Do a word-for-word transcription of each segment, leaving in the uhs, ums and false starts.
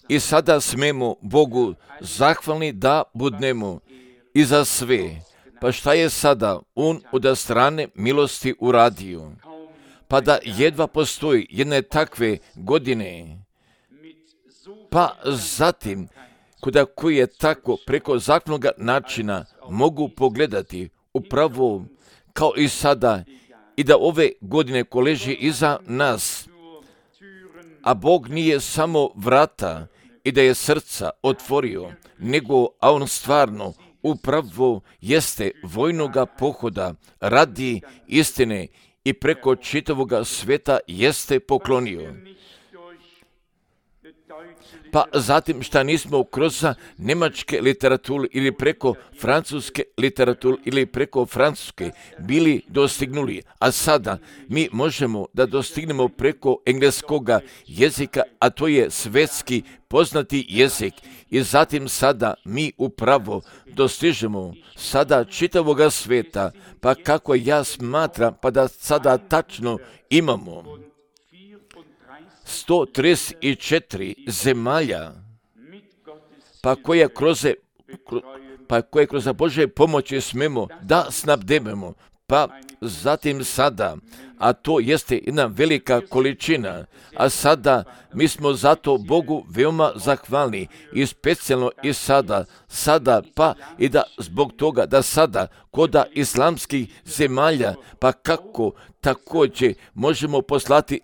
I sada smemo Bogu zahvalni da budnemo i za sve. Pa šta je sada On od strane milosti uradio? Pa da jedva postoji jedne takve godine, pa zatim kuda koji je tako preko zakonnog načina mogu pogledati upravo kao i sada i da ove godine ko leži iza nas, a Bog nije samo vrata i da je srca otvorio, nego a On stvarno upravo jeste vojnoga pohoda radi istine i preko čitavoga sveta jeste poklonio. Pa zatim šta nismo kroz njemačke literature ili preko francuske literature ili preko francuske bili dostignuli, a sada mi možemo da dostignemo preko engleskoga jezika, a to je svetski poznati jezik. I zatim sada mi upravo dostižemo sada čitavoga sveta, pa kako ja smatram, pa da sada tačno imamo sto trideset četiri zemalja, pa koje kroz, pa koje kroz Božje pomoći smemo da snabdevamo, pa zatim sada, a to jeste jedna velika količina, a sada mi smo zato Bogu veoma zahvalni i specijalno i sada, sada pa i da zbog toga da sada koda islamskih zemalja, pa kako također možemo poslati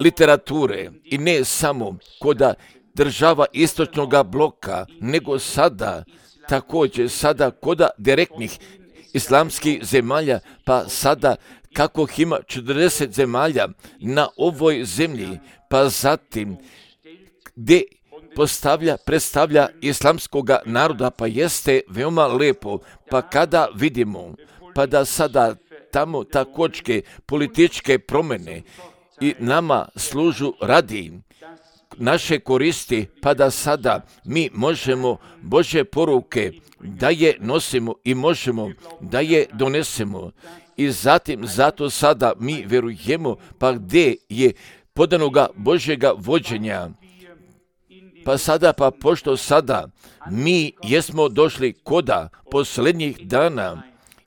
literature i ne samo koda država istočnog bloka, nego sada također sada koda direktnih islamskih zemalja, pa sada kako ima četrdeset zemalja na ovoj zemlji, pa zatim gdje postavlja, predstavlja islamskoga naroda, pa jeste veoma lepo, pa kada vidimo, pa da sada tamo također političke promjene i nama služu radi naše koristi, pa da sada mi možemo Božje poruke da je nosimo i možemo da je donesemo. I zatim zato sada mi verujemo, pa gdje je podanoga Božjega vođenja. Pa sada, pa pošto sada mi jesmo došli koda posljednjih dana,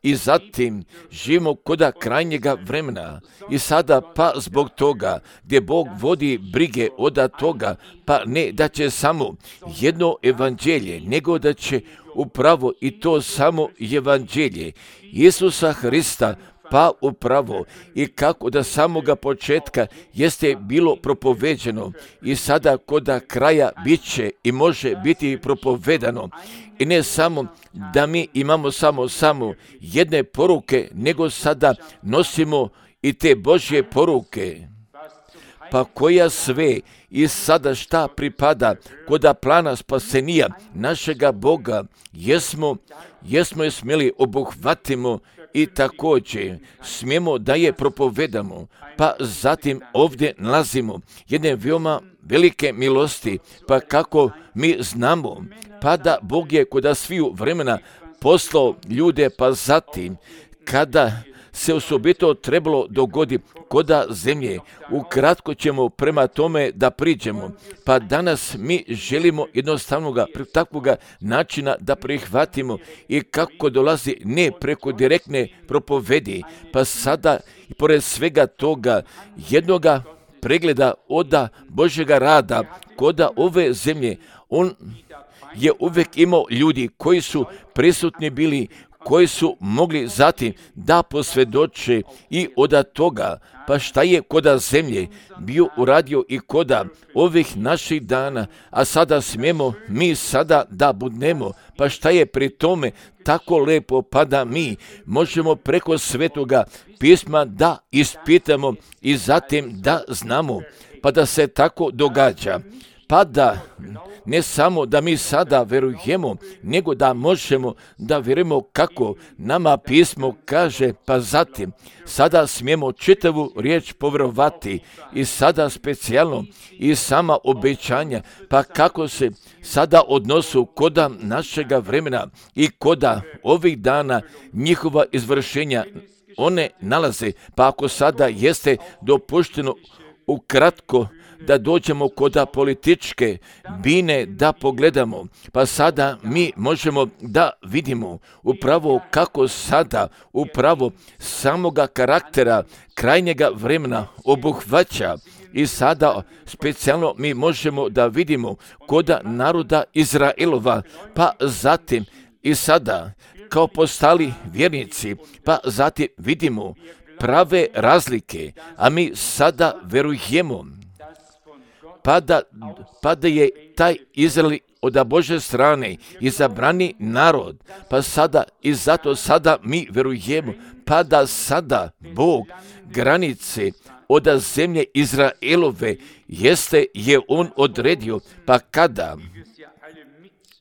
i zatim živimo koda krajnjega vremena i sada pa zbog toga gdje Bog vodi brige od toga, pa ne da će samo jedno evanđelje, nego da će upravo i to samo evanđelje Isusa Hrista, pa upravo i kako da samoga početka jeste bilo propoveđeno i sada koda kraja bit će i može biti propovedano. I ne samo da mi imamo samo samo jedne poruke, nego sada nosimo i te Božje poruke, pa koja sve i sada šta pripada koda plana spasenija našega Boga, jesmo, jesmo je smjeli obuhvatimo i također smijemo da je propovedamo, pa zatim ovdje nalazimo jedne veoma velike milosti, pa kako mi znamo, pa da Bog je koda sviju vremena poslao ljude, pa zatim kada se osobito trebalo dogodi koda zemlje, ukratko ćemo prema tome da priđemo, pa danas mi želimo jednostavnoga takvoga načina da prihvatimo i kako dolazi ne preko direktne propovedi, pa sada i pored svega toga jednoga pregleda oda Božjega rada koda ove zemlje, on je uvijek imao ljudi koji su prisutni bili, koji su mogli zatim da posvjedoče i od toga, pa šta je koda zemlje bio uradio i koda ovih naših dana, a sada smijemo mi sada da budnemo, pa šta je pri tome tako lepo, pa da mi možemo preko svetoga pisma da ispitamo i zatim da znamo, pa da se tako događa. Pa da ne samo da mi sada verujemo, nego da možemo da vjerujemo kako nama pismo kaže, pa zatim sada smijemo čitavu riječ povjerovati i sada specijalno i sama obećanja, pa kako se sada odnosu koda našega vremena i koda ovih dana njihova izvršenja one nalaze, pa ako sada jeste dopušteno ukratko da dođemo kod političke bine da pogledamo, pa sada mi možemo da vidimo upravo kako sada upravo samoga karaktera krajnjega vremena obuhvaća. I sada specijalno mi možemo da vidimo kod naroda Izraelova, pa zatim i sada kao postali vjernici, pa zatim vidimo prave razlike, a mi sada verujemo pa da, pa da je taj Izrael od Božje strane izabrani narod, pa sada i zato sada mi verujemo pa da sada Bog granice od zemlje Izraelove jeste je on odredio, pa kada,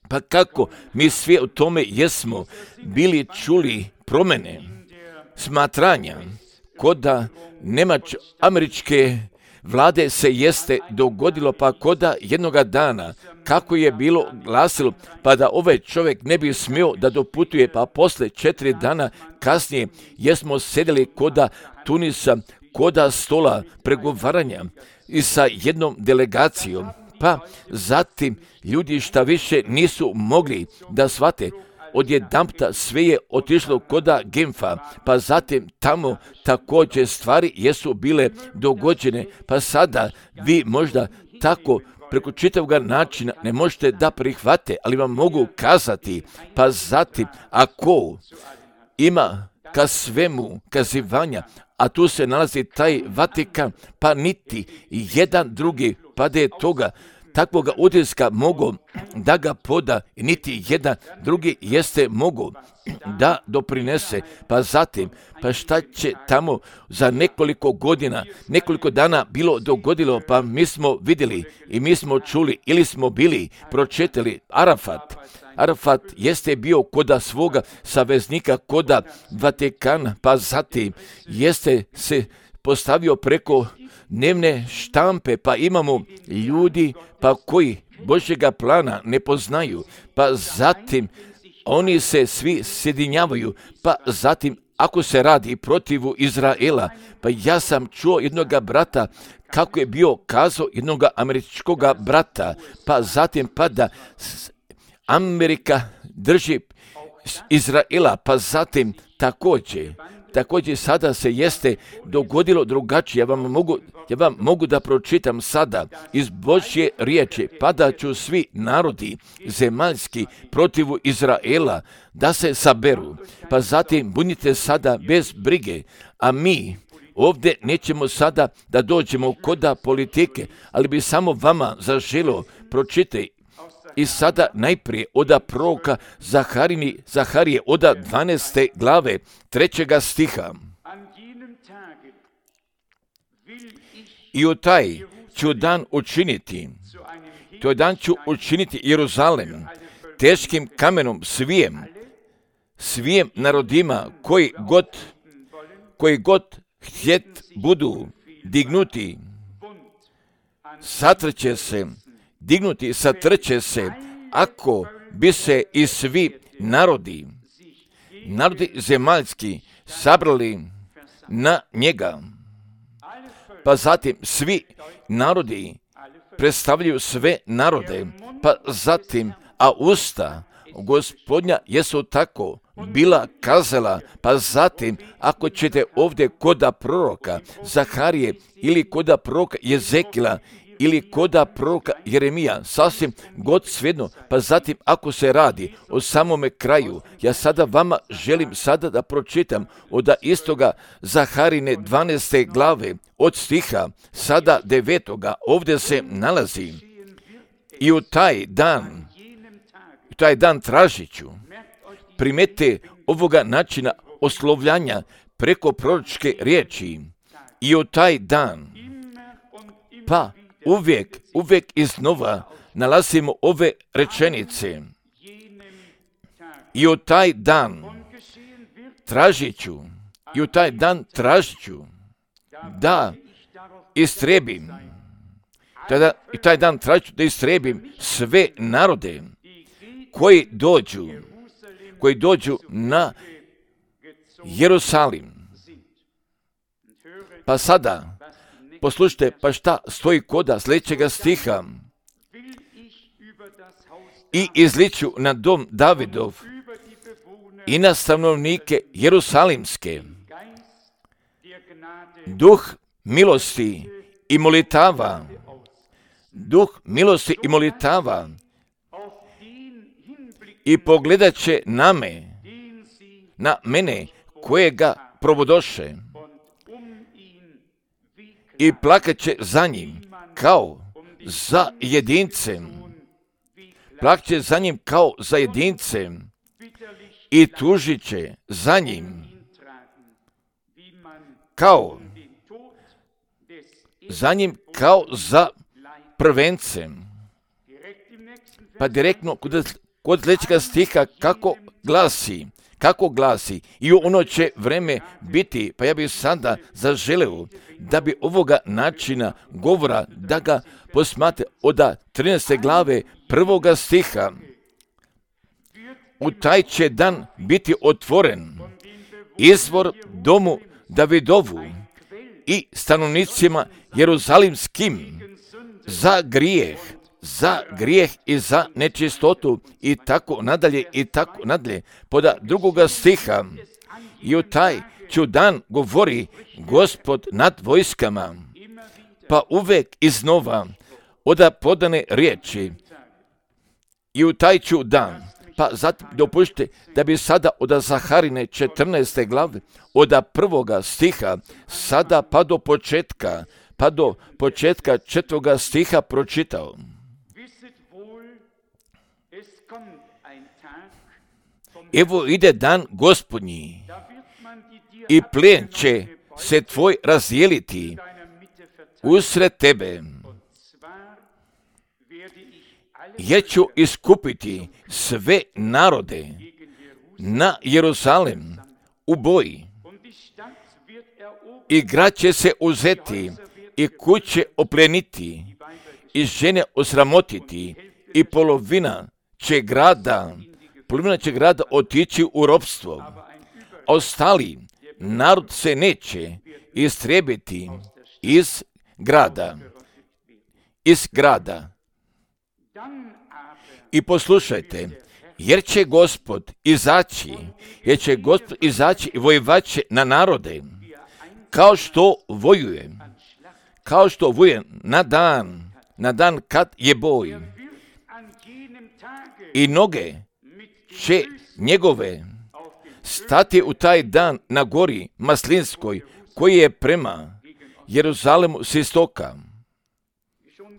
pa kako mi svi u tome jesmo bili čuli promjene smatranja kod Nemač američke vlade se jeste dogodilo, pa koda jednoga dana kako je bilo glasilo, pa da ovaj čovjek ne bi smio da doputuje, pa posle četiri dana kasnije jesmo sedeli koda Tunisa, koda stola pregovaranja i sa jednom delegacijom, pa zatim ljudi šta više nisu mogli da shvate, odjedanputa sve je otišlo koda Genfa, pa zatim tamo također stvari jesu bile dogođene, pa sada vi možda tako preko čitavog načina ne možete da prihvate, ali vam mogu kazati, pa zatim ako ima ka svemu kazivanja, a tu se nalazi taj Vatikan, pa niti jedan drugi, pa da je toga takvoga utiska mogu da ga poda, niti jedan drugi jeste mogu da doprinese, pa zatim, pa šta će tamo za nekoliko godina, nekoliko dana bilo dogodilo, pa mi smo vidjeli i mi smo čuli ili smo bili pročitali Arafat. Arafat jeste bio koda svoga saveznika, koda Vatikana, pa zatim jeste se postavio preko dnevne štampe, pa imamo ljudi pa koji Božjega plana ne poznaju, pa zatim oni se svi sjedinjavaju, pa zatim ako se radi protivu Izraela, pa ja sam čuo jednoga brata kako je bio kazao jednoga američkoga brata, pa zatim pa da Amerika drži Izraela, pa zatim također Također sada se jeste dogodilo drugačije. Ja vam mogu, ja vam mogu da pročitam sada iz Božje riječi, pa da ću svi narodi zemaljski protivu Izraela da se saberu. Pa zatim budite sada bez brige, a mi ovdje nećemo sada da dođemo koda politike, ali bi samo vama zaželo pročitati. I sada najprije oda proroka Zaharini, Zaharije oda dvanaeste glave trećega stiha. I u taj ću dan učiniti, to dan ću učiniti Jeruzalem teškim kamenom svijem, svijem narodima koji god, koji god htjet budu dignuti, satrće se, dignuti, satrće se, ako bi se i svi narodi, narodi zemaljski sabrali na njega. Pa zatim svi narodi predstavljaju sve narode, pa zatim, a usta Gospodnja jesu tako bila kazala, pa zatim ako ćete ovdje koda proroka Zaharije ili koda proroka Jezekila ili koda proroka Jeremija, sasvim god svejedno, pa zatim ako se radi o samome kraju, ja sada vama želim sada da pročitam od istoga Zaharine dvanaeste glave od stiha sada devetoga, ovdje se nalazi i u taj dan, u taj dan tražit ću, primete ovoga načina oslovljanja preko proročke riječi i u taj dan, pa uvijek, uvijek iznova nalazimo ove rečenice. I u taj dan tražit ću, i u taj dan tražit ću da istrebim, tada, i taj dan tražit ću da istrebim sve narode koji dođu, koji dođu na Jerusalim. Pa sada poslušajte, pa šta stoji koda sljedećega stiha. I izliču na dom Davidov i na stanovnike Jerusalimske duh milosti i molitava, duh milosti i molitava, i pogledat će na me, na mene kojega provodoše, i plakat će za njim kao za jedincem, plakat će za njim kao za jedincem i tužit će za njim kao za njim kao za prvencem. Pa direktno kod, kod sljedećega stiha kako glasi, kako glasi, i ono će vreme biti, pa ja bih sada zaželeo da bi ovoga načina govora, da ga posmate od trinaeste glave prvoga stiha. U taj će dan biti otvoren izvor domu Davidovu i stanovnicima Jeruzalimskim za grijeh, za grijeh i za nečistotu i tako nadalje i tako nadalje. Poda drugoga stiha, i u taj ću dan govori Gospod nad vojskama, pa uvek iznova oda podane riječi, i u taj ću dan. Pa zatim dopušte da bi sada od Zaharine četrnaeste glave, od prvoga stiha, sada pa do početka, pa do početka četvrtoga stiha pročitao. Evo ide dan Gospodnji i plijen će se tvoj razdijeliti usred tebe. Jer ću iskupiti sve narode na Jeruzalem u boji, i grad će se uzeti i kuće opleniti i žene osramotiti, i polovina će grada, polovina će grada otići u ropstvo, a ostali narod se neće istrijebiti iz grada, iz grada. I poslušajte, jer će Gospod izaći, jer će Gospod izaći i vojevaće na narode, kao što vojuje, kao što vojuje na dan, na dan kad je boj. I noge će njegove stati u taj dan na gori Maslinskoj, koji je prema Jeruzalemu s istoka.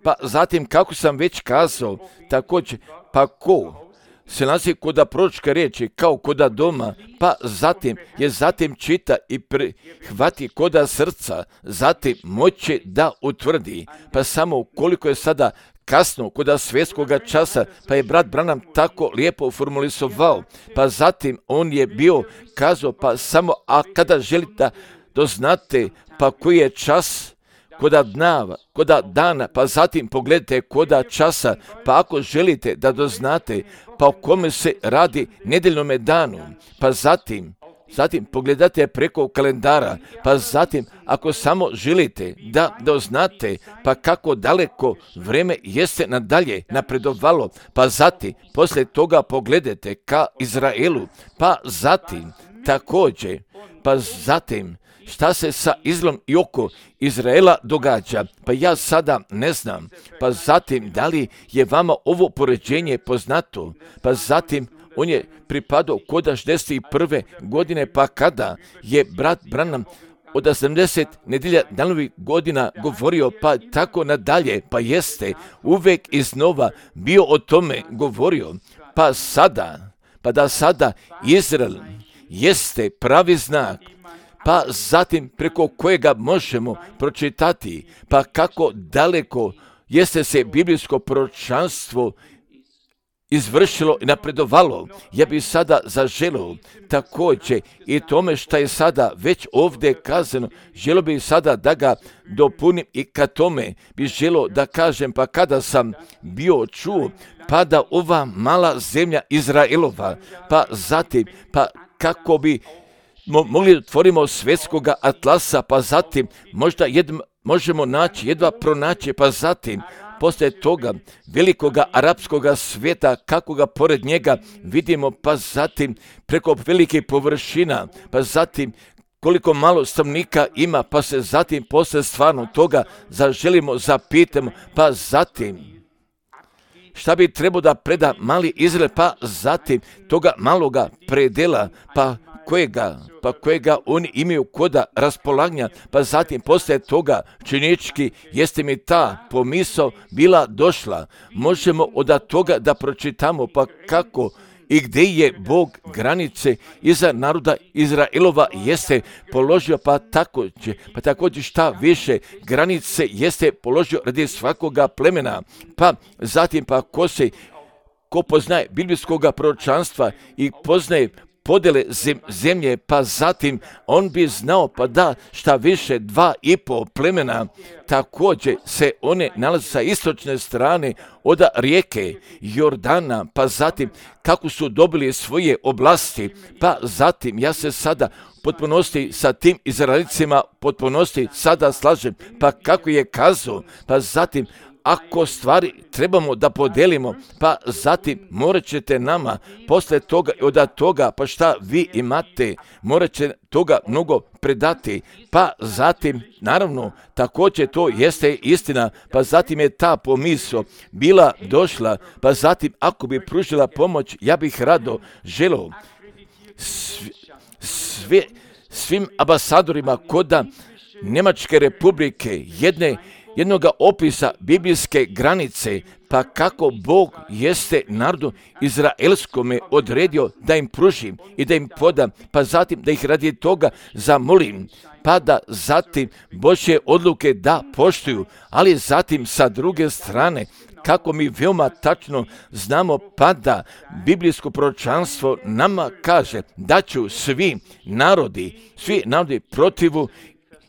Pa zatim, kako sam već kazao, također, pa ko se nalazi koda proročke riječi, kao koda doma, pa zatim je zatim čita i prihvati koda srca, zatim moće da utvrdi, pa samo koliko je sada kasno koda svjetskoga časa, pa je brat Branham tako lijepo formulisovao, pa zatim on je bio kazao, pa samo, a kada želite da doznate, pa koji je čas, koda dnava, koda dana, pa zatim pogledajte koda časa, pa ako želite da doznate, pa o kome se radi nedjeljnome danu, pa zatim, zatim pogledate preko kalendara, pa zatim ako samo želite da doznate, pa kako daleko vrijeme jeste nadalje napredovalo, pa zatim poslije toga pogledajte ka Izraelu, pa zatim također, pa zatim šta se sa Izraelom i oko Izraela događa, pa ja sada ne znam, pa zatim da li je vama ovo poređenje poznato, pa zatim on je pripadao kod šezdeset prve godine, pa kada je brat Branham od sedamdeset nedjelja danovih godina govorio, pa tako nadalje, pa jeste uvek iznova bio o tome govorio, pa sada, pa da sada Izrael jeste pravi znak, pa zatim preko kojega možemo pročitati, pa kako daleko jeste se biblijsko proročanstvo izvršilo i napredovalo. Ja bih sada zaželio također i tome što je sada već ovdje kazano, želio bih sada da ga dopunim i ka tome bih želio da kažem, pa kada sam bio čuo, pa da ova mala zemlja Izraelova, pa zatim, pa kako bi mo, mogli otvorimo svjetskoga atlasa, pa zatim možda jedva, možemo naći, jedva pronaći, pa zatim poslije toga velikoga arapskoga svijeta, kako ga pored njega vidimo, pa zatim preko velikih površina, pa zatim koliko malo stanovnika ima, pa se zatim poslije stvarno toga zaželimo, zapitamo, pa zatim šta bi trebao da preda mali Izrael, pa zatim toga maloga predela, pa kojega, pa kojega oni imaju koda raspolaganja, pa zatim poslije toga činički jeste mi ta pomisao bila došla. Možemo od toga da pročitamo, pa kako i gdje je Bog granice iza naroda Izraelova jeste položio, pa tako će, pa također šta više granice jeste položio radi svakoga plemena, pa zatim pa ko se, ko poznaje biblijskoga proročanstva i poznaje podjele zemlje, pa zatim on bi znao, pa da šta više dva i pol plemena također se one nalaze sa istočne strane od rijeke Jordana, pa zatim kako su dobili svoje oblasti, pa zatim ja se sada potpunosti sa tim Izraelicima potpunosti sada slažem, pa kako je kazao, pa zatim ako stvari trebamo da podelimo, pa zatim morat ćete nama posle toga i od toga, pa šta vi imate, morat će toga mnogo predati, pa zatim naravno također to jeste istina, pa zatim je ta pomisao bila došla, pa zatim ako bi pružila pomoć, ja bih rado želeo svi, svi, svim ambasadorima koda Njemačke republike jedne jednoga opisa biblijske granice, pa kako Bog jeste narodu izraelskome odredio da im pružim i da im podam, pa zatim da ih radi toga zamolim, pa da zatim Božje odluke da poštuju, ali zatim sa druge strane, kako mi veoma tačno znamo, pa da biblijsko proročanstvo nama kaže da ću svi narodi, svi narodi protivu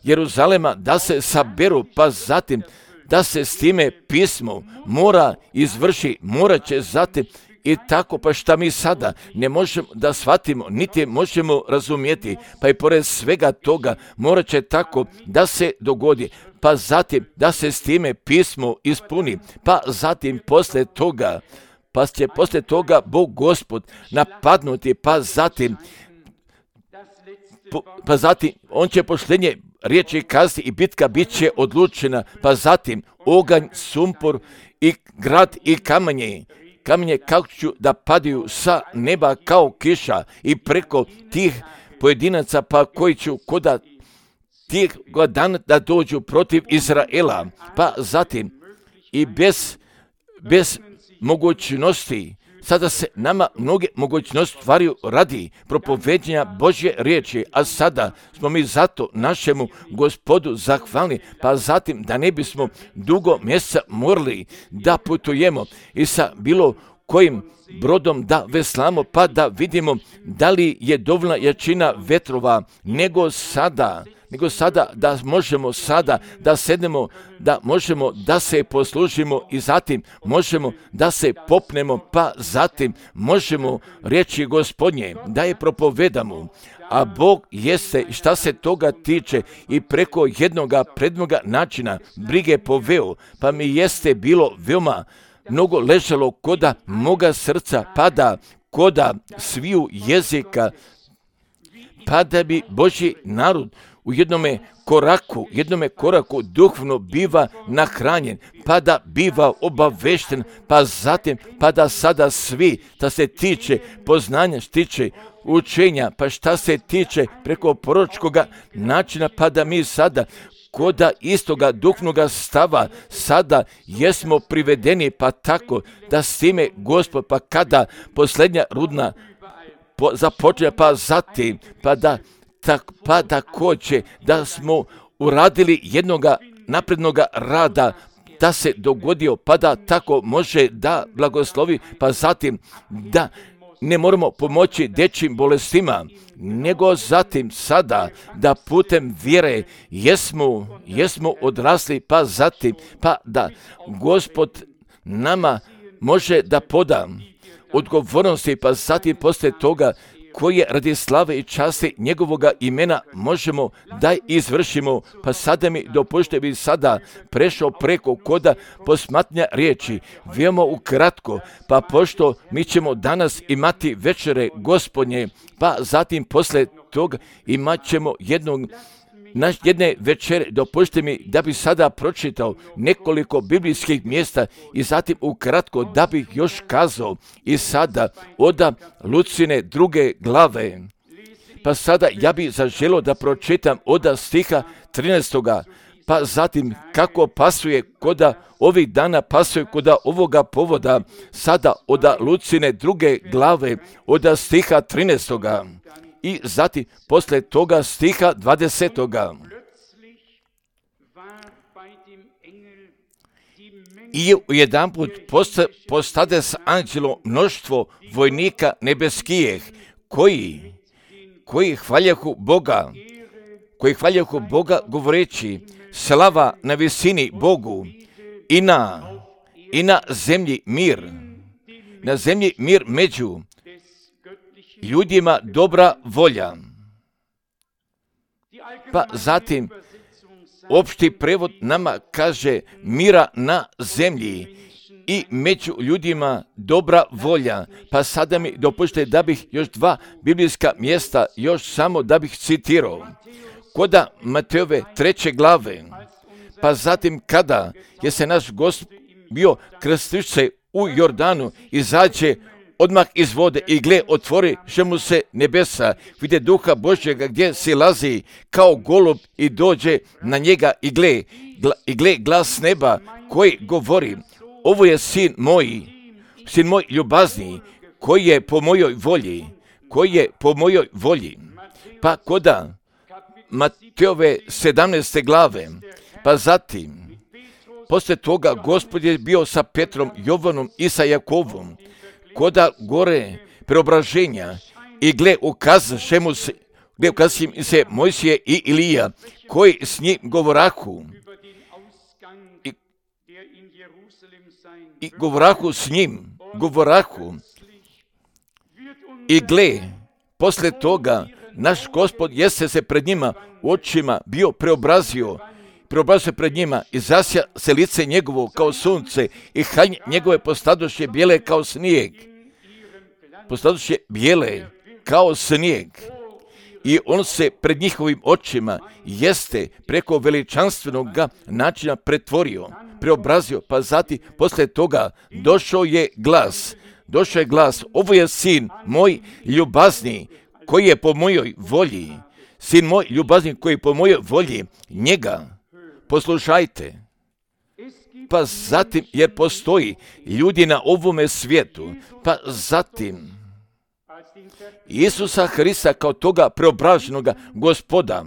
Jeruzalema da se saberu, pa zatim da se s time pismo mora izvrši, morat će zatim i tako, pa šta mi sada ne možemo da shvatimo, niti možemo razumjeti, pa i pored svega toga morat će tako da se dogodi, pa zatim da se s time pismo ispuni, pa zatim posle toga, pa će posle toga Bog Gospod napadnuti, pa zatim pa zatim on će poštenje riječi kazati i bitka bit će odlučena, pa zatim oganj, sumpor i grad i kamenje, kamenje kako ću da padaju sa neba kao kiša i preko tih pojedinaca, pa koji ću koda tih dana da dođu protiv Izraela, pa zatim i bez, bez mogućnosti. Sada se nama mnoge mogućnosti stvaraju radi propoveđenja Božje riječi, a sada smo mi zato našemu Gospodu zahvalni, pa zatim da ne bismo dugo mjeseca morali da putujemo i sa bilo kojim brodom da veslamo, pa da vidimo da li je dovoljna jačina vetrova, nego sada, nego sada da možemo sada da sednemo, da možemo da se poslužimo i zatim možemo da se popnemo, pa zatim možemo riječi Gospodnje da je propovedamo. A Bog jeste, šta se toga tiče, i preko jednoga prednoga načina brige poveo, pa mi jeste bilo veoma mnogo ležalo koda moga srca, pada koda sviju jezika, pa da bi Božji narod u jednome koraku, jednome koraku duhovno biva nahranjen, pa da biva obavešten, pa zatim, pa da sada svi, da se tiče poznanja, tiče učenja, pa šta se tiče preko proročkoga načina, pa da mi sada koda istoga duhovnoga stava sada jesmo privedeni, pa tako da s time Gospod, pa kada posljednja rudna po, započne, pa zatim, pa da tak, pa također da smo uradili jednoga naprednoga rada, da se dogodio, pa da tako može da blagoslovi, pa zatim da ne moramo pomoći dječjim bolestima, nego zatim sada da putem vjere jesmo, jesmo odrasli, pa zatim pa da Gospod nama može da poda odgovornosti, pa zatim poslije toga koje radi slave i časti njegovoga imena možemo da izvršimo. Pa sada mi dopušte bi sada prešao preko koda posmatnja riječi, veoma ukratko, pa pošto mi ćemo danas imati večere Gospodnje, pa zatim posle toga imat ćemo jednog naš jedne večere, dopušte mi da bi sada pročitao nekoliko biblijskih mjesta i zatim ukratko da bih još kazao i sada oda Lucine druge glave. Pa sada ja bih zaželio da pročitam oda stiha trinaestoga, pa zatim kako pasuje koda ovih dana, pasuje koda ovoga povoda, sada oda Lucine druge glave, oda stiha trinaestoga. I zatim posle toga stiha dvadesetoga. I ujedanput postade s anđelom mnoštvo vojnika nebeskijeh, koji, koji hvaljahu Boga, koji hvaljahu Boga govoreći, slava na visini Bogu i na, i na zemlji mir, na zemlji mir među ljudima dobra volja. Pa zatim opšti prevod nama kaže mira na zemlji i među ljudima dobra volja. Pa sada mi dopušte da bih još dva biblijska mjesta, još samo da bih citirao. Koda Matejove treće glave, pa zatim kada je se naš Gospod bio krstiše u Jordanu, izađe odmah iz vode i gle, otvori že mu se nebesa, vide duha Božjega gdje silazi kao golub i dođe na njega i gle, gla, i gle glas neba koji govori, ovo je sin moj, sin moj ljubazni, koji je po mojoj volji, koji je po mojoj volji. Pa koda Matejove sedamnaeste glave, pa zatim, posle toga Gospod je bio sa Petrom, Jovanom i sa Jakovom, koda gore preobraženja i gle ukazaše mu se, gle ukazaše im se Mojsije i Ilija, koji s njim govorahu i, i govorahu s njim, govorahu i gle, posle toga naš Gospod jeste se pred njima u očima bio preobrazio, preobrazio se pred njima i zasja se lice njegovo kao sunce i haljne njegove postadoše bijele kao snijeg. Postadoše bijele kao snijeg. I on se pred njihovim očima jeste preko veličanstvenog načina pretvorio, preobrazio, pa zatim posle toga došao je glas, došao je glas, ovo je sin moj ljubazni, koji je po mojoj volji, sin moj ljubazni koji je po mojoj volji, njega poslušajte. Pa zatim, jer postoji ljudi na ovome svijetu, pa zatim Isusa Hrista kao toga preobraženog Gospoda,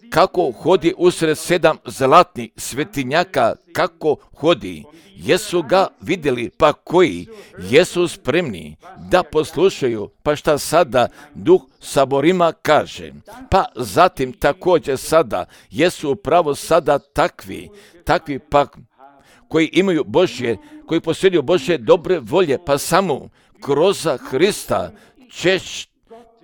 kako hodi usred sedam zlatnih svetinjaka, kako hodi, jesu ga vidjeli, pa koji jesu spremni da poslušaju, pa šta sada Duh saborima kaže. Pa zatim također sada jesu upravo sada takvi, takvi pa koji imaju Božje, koji posjeduju Božje dobre volje, pa samo kroz Hrista ćeš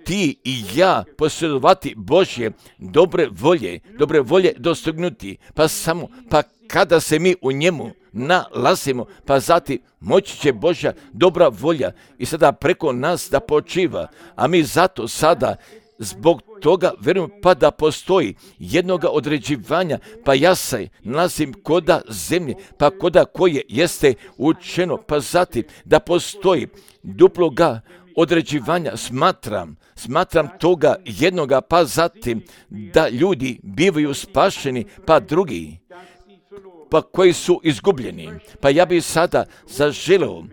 ti i ja posjedovati Božje dobre volje, dobre volje dostignuti, pa samo, pa kada se mi u njemu nalazimo, pa zatim moći će Božja dobra volja i sada preko nas da počiva, a mi zato sada zbog toga vjerujemo pa da postoji jednoga određivanja, pa ja se nalazim koda zemlje, pa koda koje jeste učeno, pa zatim da postoji duploga određivanja, smatram, smatram toga jednoga, pa zatim da ljudi bivaju spašeni, pa drugi, pa koji su izgubljeni. Pa ja bih sada zaželeo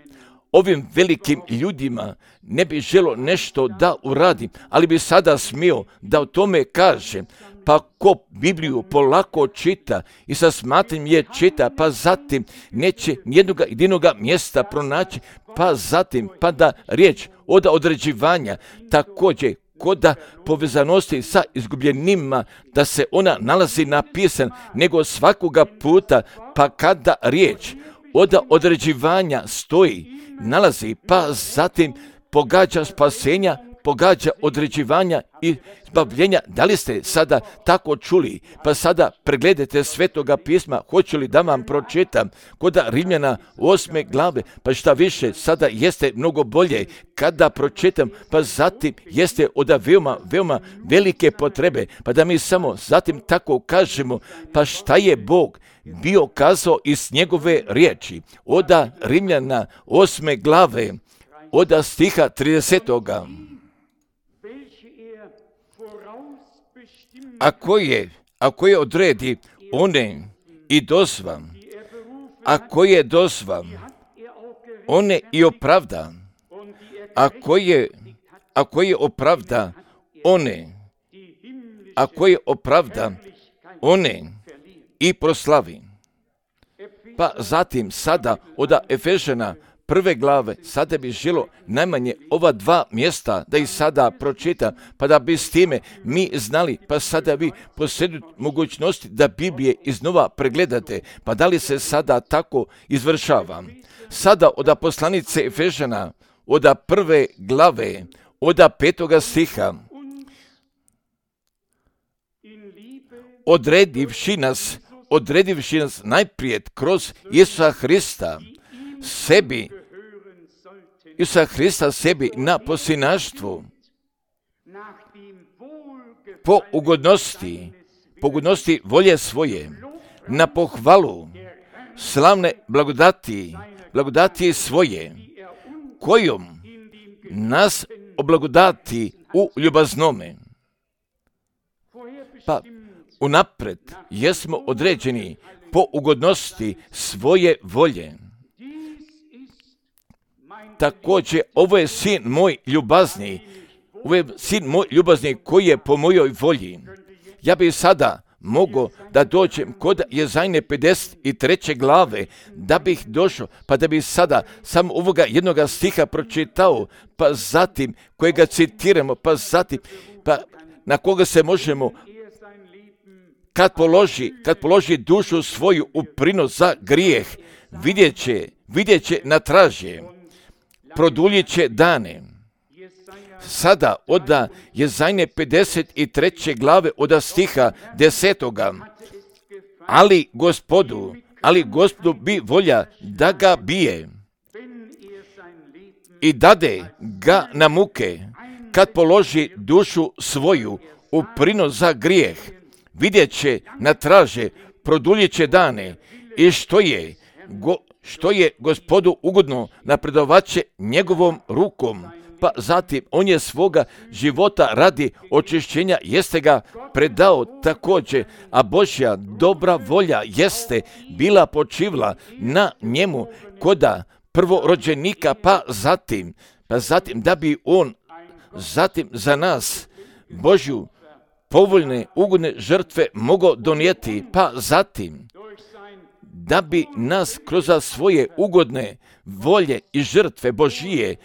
ovim velikim ljudima, ne bih želio nešto da uradim, ali bi sada smio da o tome kažem. Pa ko Bibliju polako čita i sa smatranjem je čita, pa zatim neće nijednog jedinoga mjesta pronaći, pa zatim pa da riječ od određivanja također koda povezanosti sa izgubljenima, da se ona nalazi napisan, nego svakoga puta, pa kada riječ od određivanja stoji, nalazi, pa zatim pogađa spasenja, pogađa određivanja i zbavljenja. Da li ste sada tako čuli? Pa sada pregledajte Svetoga pisma. Hoću li da vam pročitam kod Rimljana osme glave? Pa šta više, sada jeste mnogo bolje kada pročitam, pa zatim jeste od veoma, veoma velike potrebe. Pa da mi samo zatim tako kažemo, pa šta je Bog bio kazao iz njegove riječi? Od Rimljana osme glave, od stiha tridesetoga. Ako je, ako je odredi one i dozva, ako je dozva, one i opravda, ako je, ako je opravda one, ako je opravda one i proslavi. Pa zatim sada od Efežana prve glave, sada bi želo najmanje ova dva mjesta da ih sada pročitam, pa da bi s time mi znali, pa sada vi posjedujete mogućnosti da Biblije iznova pregledate, pa da li se sada tako izvršava. Sada od poslanice Efežana, od prve glave, od petoga stiha, odredivši nas, odredivši nas najprije kroz Isusa Hrista, sebi, Isusa Hrista sebi na posinaštvu, po ugodnosti, po ugodnosti volje svoje, na pohvalu slavne blagodati, blagodati svoje, kojom nas oblagodati u ljubaznome. Pa unapred jesmo određeni po ugodnosti svoje volje. Također, ovo je sin moj ljubazni, ovo je sin moj ljubazni koji je po mojoj volji. Ja bih sada mogao da dođem kod Jezajne pedeset treće glave, da bih došao, pa da bih sada samo ovoga jednoga stiha pročitao, pa zatim kojega citiramo, pa zatim, pa na koga se možemo, kad položi, kad položi dušu svoju u prinos za grijeh, vidjet će, vidjet će na traže, produljit će dane. Sada od Jezajne pedeset treće glave od stiha desetoga. Ali Gospodu, ali Gospodu bi volja da ga bije i dade ga na muke, kad položi dušu svoju u prinos za grijeh, vidjet će na traže, produljit će dane i što je, go, što je Gospodu ugodno, napredovat će njegovom rukom. Pa zatim on je svoga života radi očišćenja jeste ga predao također, a Božja dobra volja jeste bila počivla na njemu koda prvorođenika, pa zatim, pa zatim da bi on zatim za nas Božju povoljne, ugodne žrtve mogao donijeti, pa zatim da bi nas kroz svoje ugodne volje i žrtve Božije,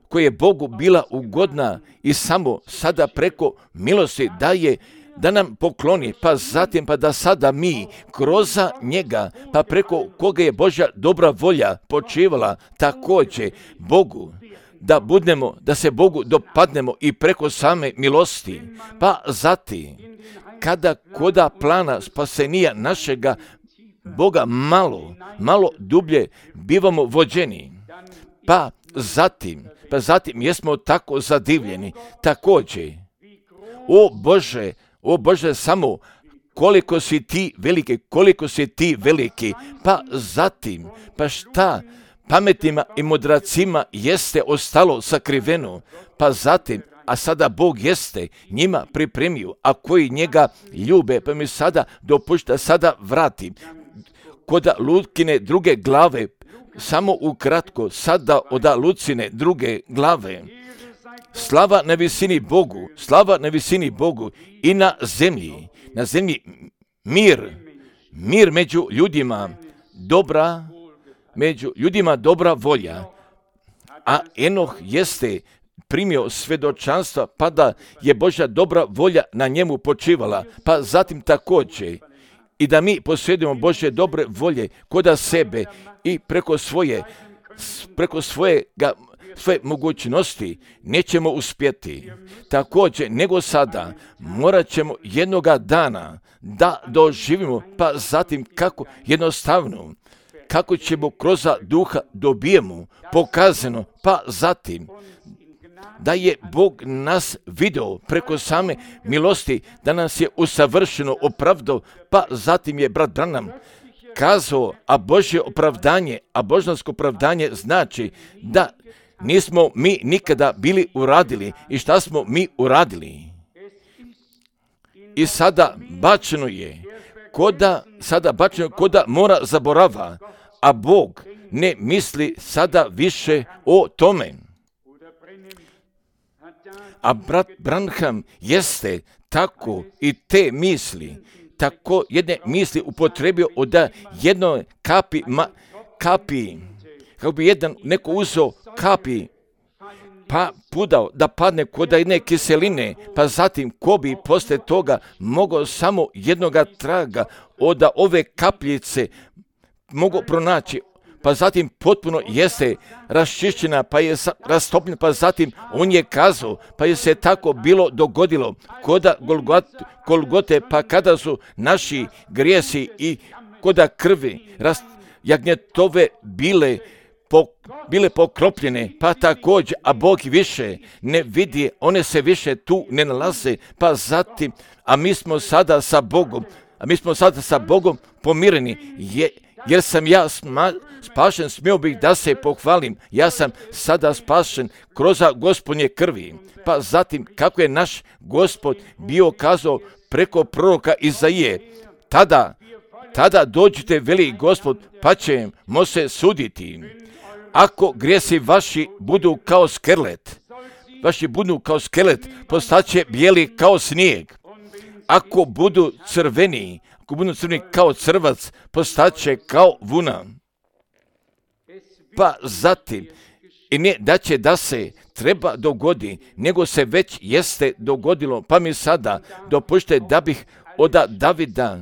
koje je Bogu bila ugodna i samo sada preko milosti daje, da nam pokloni, pa zatim pa da sada mi kroz njega, pa preko koga je Božja dobra volja počivala također Bogu, da budemo, da se Bogu dopadnemo i preko same milosti, pa zatim kada koda plana spasenija našega Boga malo, malo dublje bivamo vođeni, pa zatim, pa zatim jesmo tako zadivljeni, također, o Bože, o Bože, samo koliko si ti veliki, koliko si ti veliki, pa zatim, pa šta pametnima i mudracima jeste ostalo sakriveno, pa zatim, a sada Bog jeste njima pripremio, a koji njega ljube, pa mi sada dopušta, sada vratim, kod Lukine druge glave, samo ukratko, sada od Lucine druge glave. Slava na visini Bogu, slava na visini Bogu i na zemlji, na zemlji mir, mir među ljudima, dobra, među ljudima dobra volja. A Enoh jeste primio svjedočanstva, pa da je Božja dobra volja na njemu počivala, pa zatim također i da mi posjedujemo Božje dobre volje koda sebe i preko svoje, preko svojega svoje mogućnosti, nećemo uspjeti. Također, nego sada, morat ćemo jednoga dana da doživimo, pa zatim kako jednostavno, kako ćemo kroz duha dobijemo pokazano, pa zatim da je Bog nas video preko same milosti, da nas je usavršeno opravdao, pa zatim je brat Branham kazao, a Božje opravdanje, a božansko opravdanje znači da nismo mi nikada bili uradili. I šta smo mi uradili? I sada bačeno je, koda, sada bačeno koda mora zaborava, a Bog ne misli sada više o tome. A brat Branham jeste tako i te misli, tako jedne misli upotrebio od jednoj kapi, ma, kapi, kako bi jedan neko uzeo kapi, pa pudao da padne kod jedne kiseline, pa zatim ko bi posle toga mogao samo jednoga traga od ove kapljice mogao pronaći, pa zatim potpuno jeste raščišćena, pa je rastopljena, pa zatim on je kazao, pa je se tako bilo dogodilo koda Golgote, pa kada su naši grijesi i koda krvi jagnjetove bile po, bile pokropljene, pa također, a Bog više ne vidi, one se više tu ne nalaze, pa zatim, a mi smo sada sa Bogom, a mi smo sada sa Bogom pomireni, je, jer sam ja sma, spašen, smio bih da se pohvalim, ja sam sada spašen kroz Gospodnje krvi. Pa zatim, kako je naš Gospod bio kazao preko proroka Izaije, tada, tada dođite, veli Gospod, pa ćemo se suditi. Ako grijesi vaši budu kao skelet, vaši budu kao skelet, postaće bijeli kao snijeg. Ako budu crveni, ako budu crveni kao crvac, postaće kao vuna. Pa zatim, i ne da će da se treba dogodi, nego se već jeste dogodilo, pa mi sada dopušte da bih od Davida,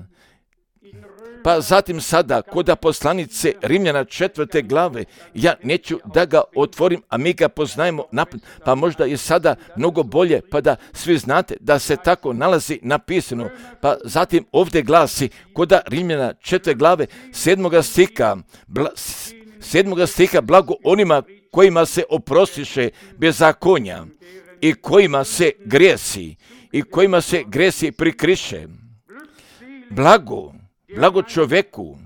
pa zatim sada kod poslanice Rimljana četvrte glave, ja neću da ga otvorim, a mi ga poznajemo napred, pa možda je sada mnogo bolje, pa da svi znate da se tako nalazi napisano. Pa zatim ovdje glasi kod Rimljana četvrte glave sedmoga stiha, bla, sedmoga stiha, blago onima kojima se oprostiše bezakonja i kojima se grijesi i kojima se grijesi prikriše. Blago, blago čovjeku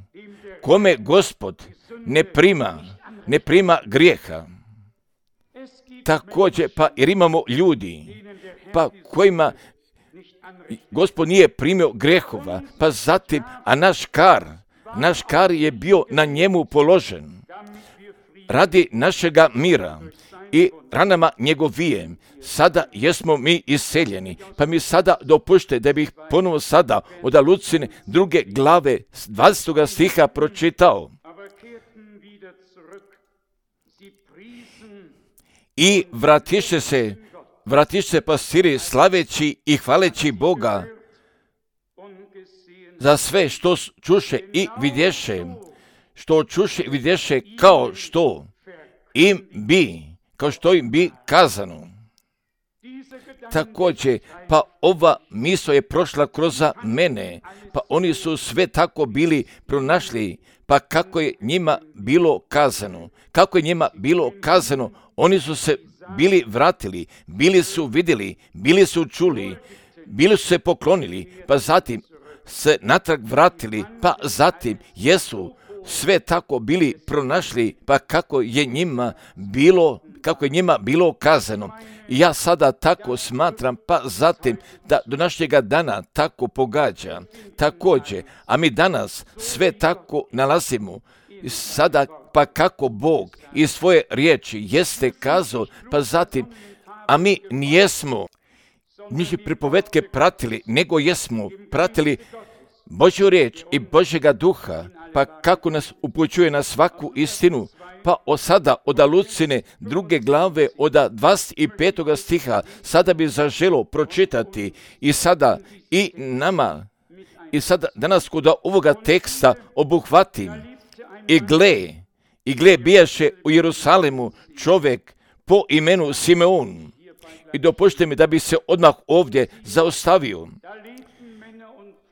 kome Gospod ne prima, ne prima grijeha. Također, pa jer imamo ljudi, pa kojima Gospod nije primio grijehova, pa zatim, a naš kar, naš kar je bio na njemu položen radi našega mira i ranama njegovije. Sada jesmo mi iseljeni, pa mi sada dopušte da bih ponovo sada od Lucine druge glave dvadesetog stiha pročitao. I vratiše se, vratiše se pastiri slaveći i hvaleći Boga za sve što čuše i vidješe, što čuše i vidješe kao što im bi, kao što im bi kazano. Također, pa ova misao je prošla kroz mene, pa oni su sve tako bili pronašli, pa kako je njima bilo kazano, kako je njima bilo kazano, oni su se bili vratili, bili su vidjeli, bili su čuli, bili su se poklonili, pa zatim se natrag vratili, pa zatim jesu sve tako bili pronašli, pa kako je njima bilo, kako je njima bilo kazano. I ja sada tako smatram, pa zatim da do našega dana tako pogađa. Također, a mi danas sve tako nalazimo. I sada pa kako Bog iz svoje riječi jeste kazao, pa zatim, a mi nijesmo njih pripovetke pratili, nego jesmo pratili Božju riječ i Božjega duha, pa kako nas upućuje na svaku istinu, pa od sada od Lucine druge glave od dvadeset petog stiha sada bi zaželo pročitati i sada i nama i sada danas kod ovoga teksta obuhvatim i gle, i gle bijaše u Jerusalimu čovjek po imenu Simeon. I dopustite mi da bi se odmah ovdje zaustavio.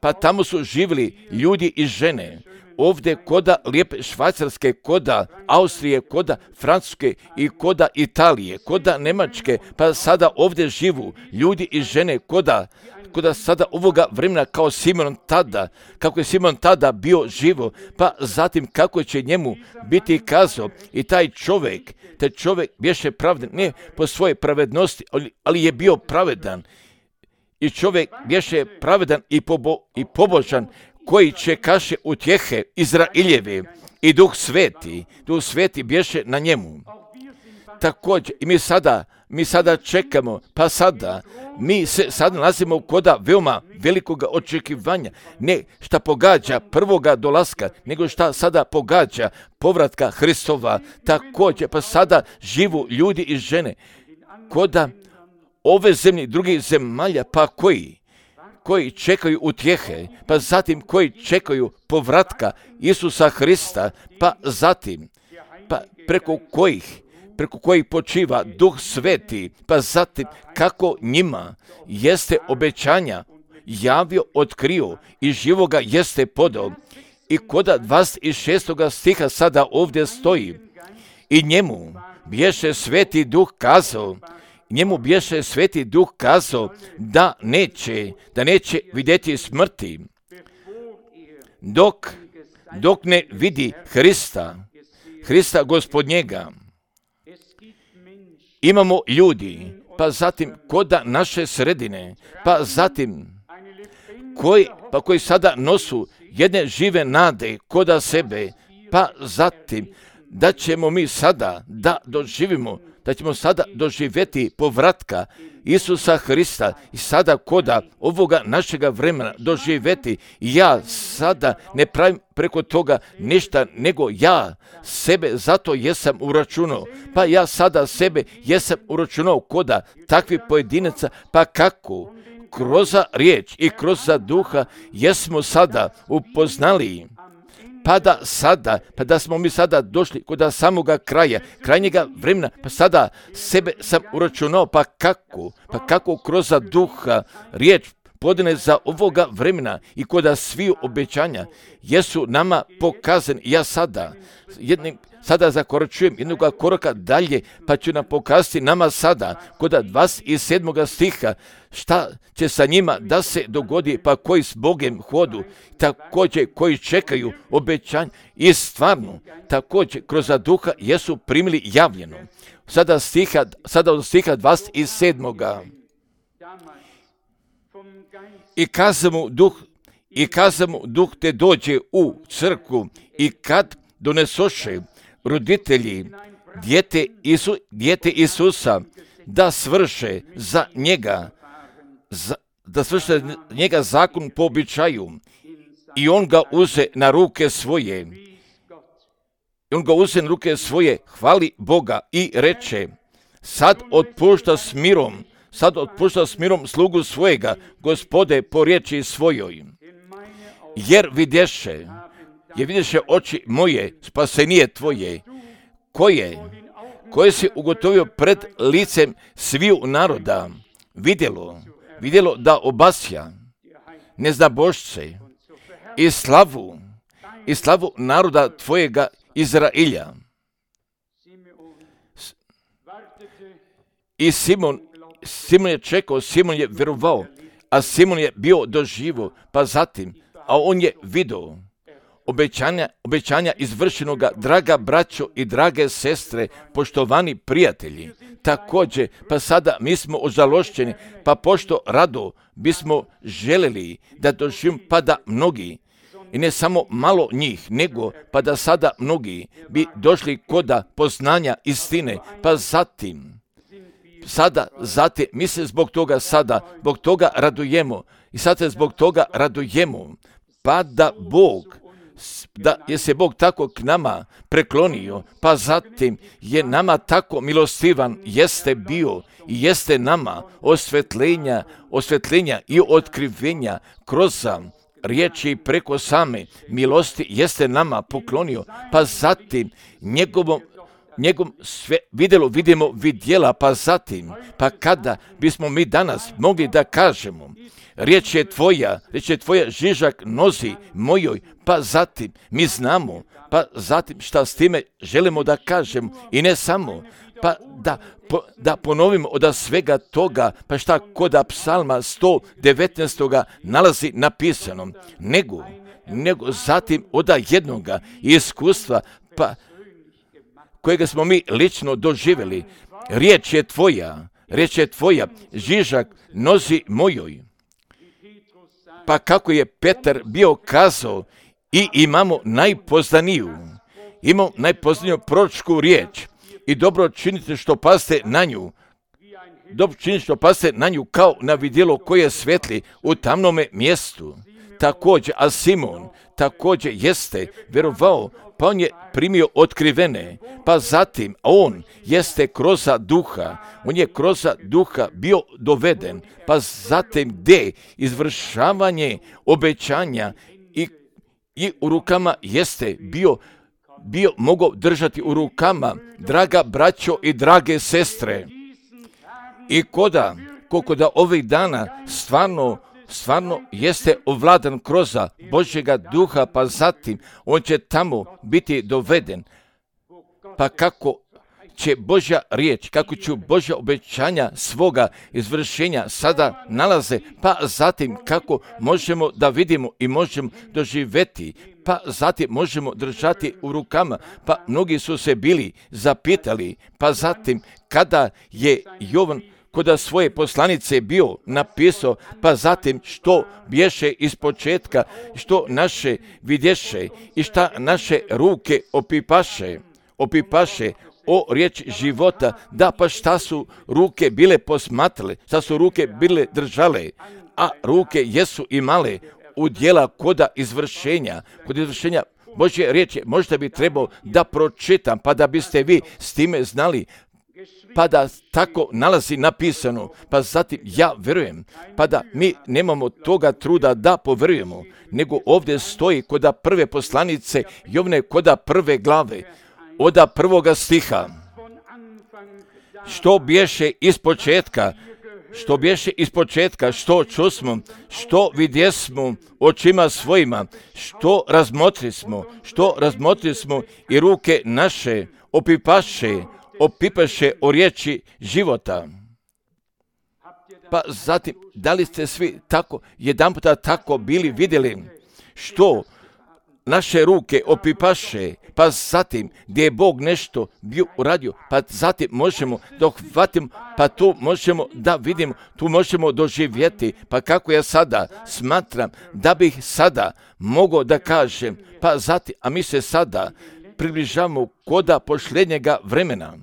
Pa tamo su živjeli ljudi i žene. Ovdje koda lijepe Švajcarske, koda Austrije, koda Francuske i koda Italije, koda Njemačke, pa sada ovdje živu ljudi i žene koda, koda sada ovoga vremena kao Simon tada, kako je Simon tada bio živo, pa zatim kako će njemu biti kazao i taj čovjek, taj čovjek bješe pravedan, ne po svojoj pravednosti, ali je bio pravedan. I čovjek bješe pravedan i, pobo, i pobožan, koji čekaše utjehe Izraeljeve i Duh Sveti, Duh Sveti bješe na njemu. Također, i mi sada, mi sada čekamo, pa sada, mi se sad nalazimo koda veoma velikoga očekivanja, ne šta pogađa prvoga dolaska, nego šta sada pogađa povratka Hristova. Također, pa sada živu ljudi i žene, koda ove zemlje, drugih zemalja, pa koji? koji čekaju utjehe, pa zatim koji čekaju povratka Isusa Hrista, pa zatim, pa preko kojih, preko kojih počiva Duh Sveti, pa zatim kako njima jeste obećanja javio, otkrio i živoga jeste podao. I koda dvadeset šestog stiha sada ovdje stoji, i njemu bješe Sveti Duh kazao, njemu bješe Sveti Duh kazao da neće, da neće vidjeti smrti, dok, dok ne vidi Hrista, Hrista Gospodnjega. Imamo ljudi, pa zatim koda naše sredine, pa zatim koji, pa koji sada nosu jedne žive nade koda sebe, pa zatim da ćemo mi sada da doživimo, da ćemo sada doživjeti povratka Isusa Hrista i sada koda ovoga našega vremena doživjeti. Ja sada ne pravim preko toga ništa, nego ja sebe zato jesam uračunao. Pa ja sada sebe jesam uračunao koda takvih pojedinaca, pa kako kroz riječ i kroz duha jesmo sada upoznali. Pa da sada, pa da smo mi sada došli kod samoga kraja, krajnjega vremena, pa sada sebe sam uračunao, pa kako, pa kako kroz duha riječ podane za ovoga vremena i kod sviju obećanja jesu nama pokazani. Ja sada, jednim, sada zakoračujem jednog koraka dalje, pa ću nam pokazati nama sada, kod dvadeset sedmog stiha, šta će sa njima da se dogodi, pa koji s Bogem hodu, također koji čekaju obećanje i stvarno, također kroz duha jesu primili javljeno. Sada, stiha, sada od stiha dvadeset sedmog I kazamo duh, i kazamo duh te dođe u crkvu i kad donesoše roditelji dijete, Isu, dijete Isusa da svrše za njega, za, da svrše njega zakon po običaju i on ga uze na ruke svoje. I on ga uze na ruke svoje, hvali Boga i reče, sad otpušta s mirom, sad otpušta s mirom slugu svojega, Gospode, po riječi svojoj. Jer vidješe, jer vidješe oči moje, spasenije tvoje, koje, koje si ugotovio pred licem sviju naroda, vidjelo, vidjelo da obasja neznabošce i slavu, i slavu naroda tvojega Izrailja. I Simon, Simon je čekao, Simon je vjerovao, a Simon je bio doživo, pa zatim, a on je vidio obećanja, obećanja izvršenoga, draga braćo i drage sestre, poštovani prijatelji. Također, pa sada mi smo ožalošćeni, pa pošto rado bismo željeli da doživimo, pa da mnogi, i ne samo malo njih, nego pa da sada mnogi bi došli koda poznanja istine, pa zatim, sada, zatim, mi se zbog toga sada, zbog toga radujemo i sad se zbog toga radujemo, pa da Bog, da je se Bog tako k nama preklonio, pa zatim je nama tako milostivan, jeste bio i jeste nama osvetljenja, osvetljenja i otkrivenja kroz riječi preko same milosti jeste nama poklonio, pa zatim njegovom njegov sve vidjelo vidimo vidjela, pa zatim, pa kada bismo mi danas mogli da kažemo, riječ je tvoja, riječ je tvoja žižak nozi mojoj, pa zatim mi znamo, pa zatim šta s time želimo da kažemo i ne samo, pa da, po, da ponovimo od svega toga, pa šta kod psalma sto devetnaest nalazi napisano, nego, nego zatim od jednoga iskustva, pa kojega smo mi lično doživjeli, riječ je tvoja, riječ je tvoja, žižak nozi mojoj. Pa kako je Petar bio kazao, i imamo najpoznaniju, imamo najpoznaniju proročku riječ i dobro činite što paste na nju, dobro činite što paste na nju kao na vidjelo koje svetli u tamnome mjestu. Također, a Simon također jeste vjerovao, pa on je primio otkrivene, pa zatim on jeste kroz duha, on je kroz duha bio doveden, pa zatim gdje izvršavanje obećanja i, i u rukama jeste bio, bio mogao držati u rukama, draga braćo i drage sestre. I koda, koliko da ovih dana stvarno stvarno jeste ovladan kroz Božjega duha, pa zatim on će tamo biti doveden. Pa kako će Božja riječ, kako će Božja obećanja svoga izvršenja sada nalaze, pa zatim kako možemo da vidimo i možemo doživjeti, pa zatim možemo držati u rukama, pa mnogi su se bili zapitali, pa zatim kada je Jovan kod svoje poslanice bio napisao, pa zatim što bješe iz početka, što naše vidješe i šta naše ruke opipaše, opipaše o riječ života, da pa šta su ruke bile posmatrale, šta su ruke bile držale, a ruke jesu imale u djela koda izvršenja, kod izvršenja Božje riječi. Možda bi trebao da pročitam, pa da biste vi s time znali, pa da tako nalazi napisano, pa zatim ja vjerujem, pa da mi nemamo toga truda da povjerujemo, nego ovdje stoji koda prve poslanice Jovne, koda prve glave, oda prvoga stiha, što bješe iz početka, što bješe iz početka, što čusmo, što vidjesmo očima svojima, što razmotrismo, što razmotrismo i ruke naše opipaše, opipaše o riječi života. Pa zatim, da li ste svi tako, jedan puta tako bili vidjeli što naše ruke opipaše, pa zatim gdje je Bog nešto bio uradio, pa zatim možemo da uhvatimo, pa tu možemo da vidimo, tu možemo doživjeti, pa kako ja sada smatram da bih sada mogao da kažem, pa zatim, a mi se sada približavamo koda posljednjega vremena.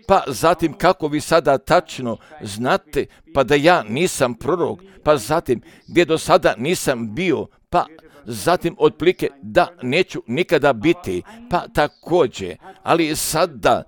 Pa zatim kako vi sada tačno znate, pa da ja nisam prorok, pa zatim gdje do sada nisam bio, pa zatim otplike da neću nikada biti, pa također, ali sada,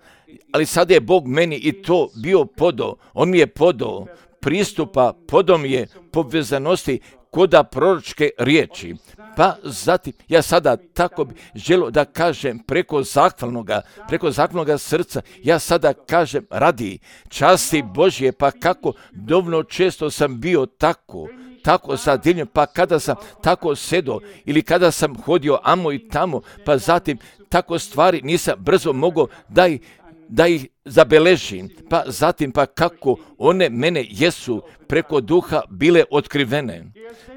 ali sada je Bog meni i to bio podao, on mi je podao pristupa, podao mi je povezanosti koda proročke riječi. Pa zatim, ja sada tako bi želio da kažem preko zahvalnoga, preko zahvalnoga srca, ja sada kažem radi časti Božje, pa kako dovoljno često sam bio tako, tako zadivljen, pa kada sam tako sedo ili kada sam hodio amo i tamo, pa zatim tako stvari nisam brzo mogao da ih, da ih zabeležim, pa zatim pa kako one mene jesu preko duha bile otkrivene,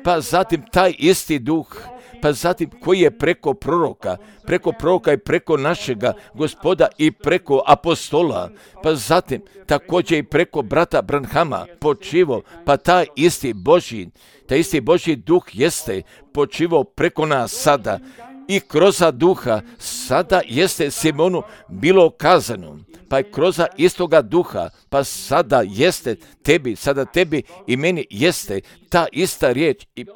pa zatim taj isti duh, pa zatim koji je preko proroka, preko proroka i preko našega Gospoda i preko apostola, pa zatim također i preko brata Branhama počivo, pa taj isti Božji, taj isti Božji duh jeste počivo preko nas sada i kroz duha sada jeste Simonu bilo kazano, pa je kroz istoga duha, pa sada jeste tebi, sada tebi i meni jeste ta ista riječ i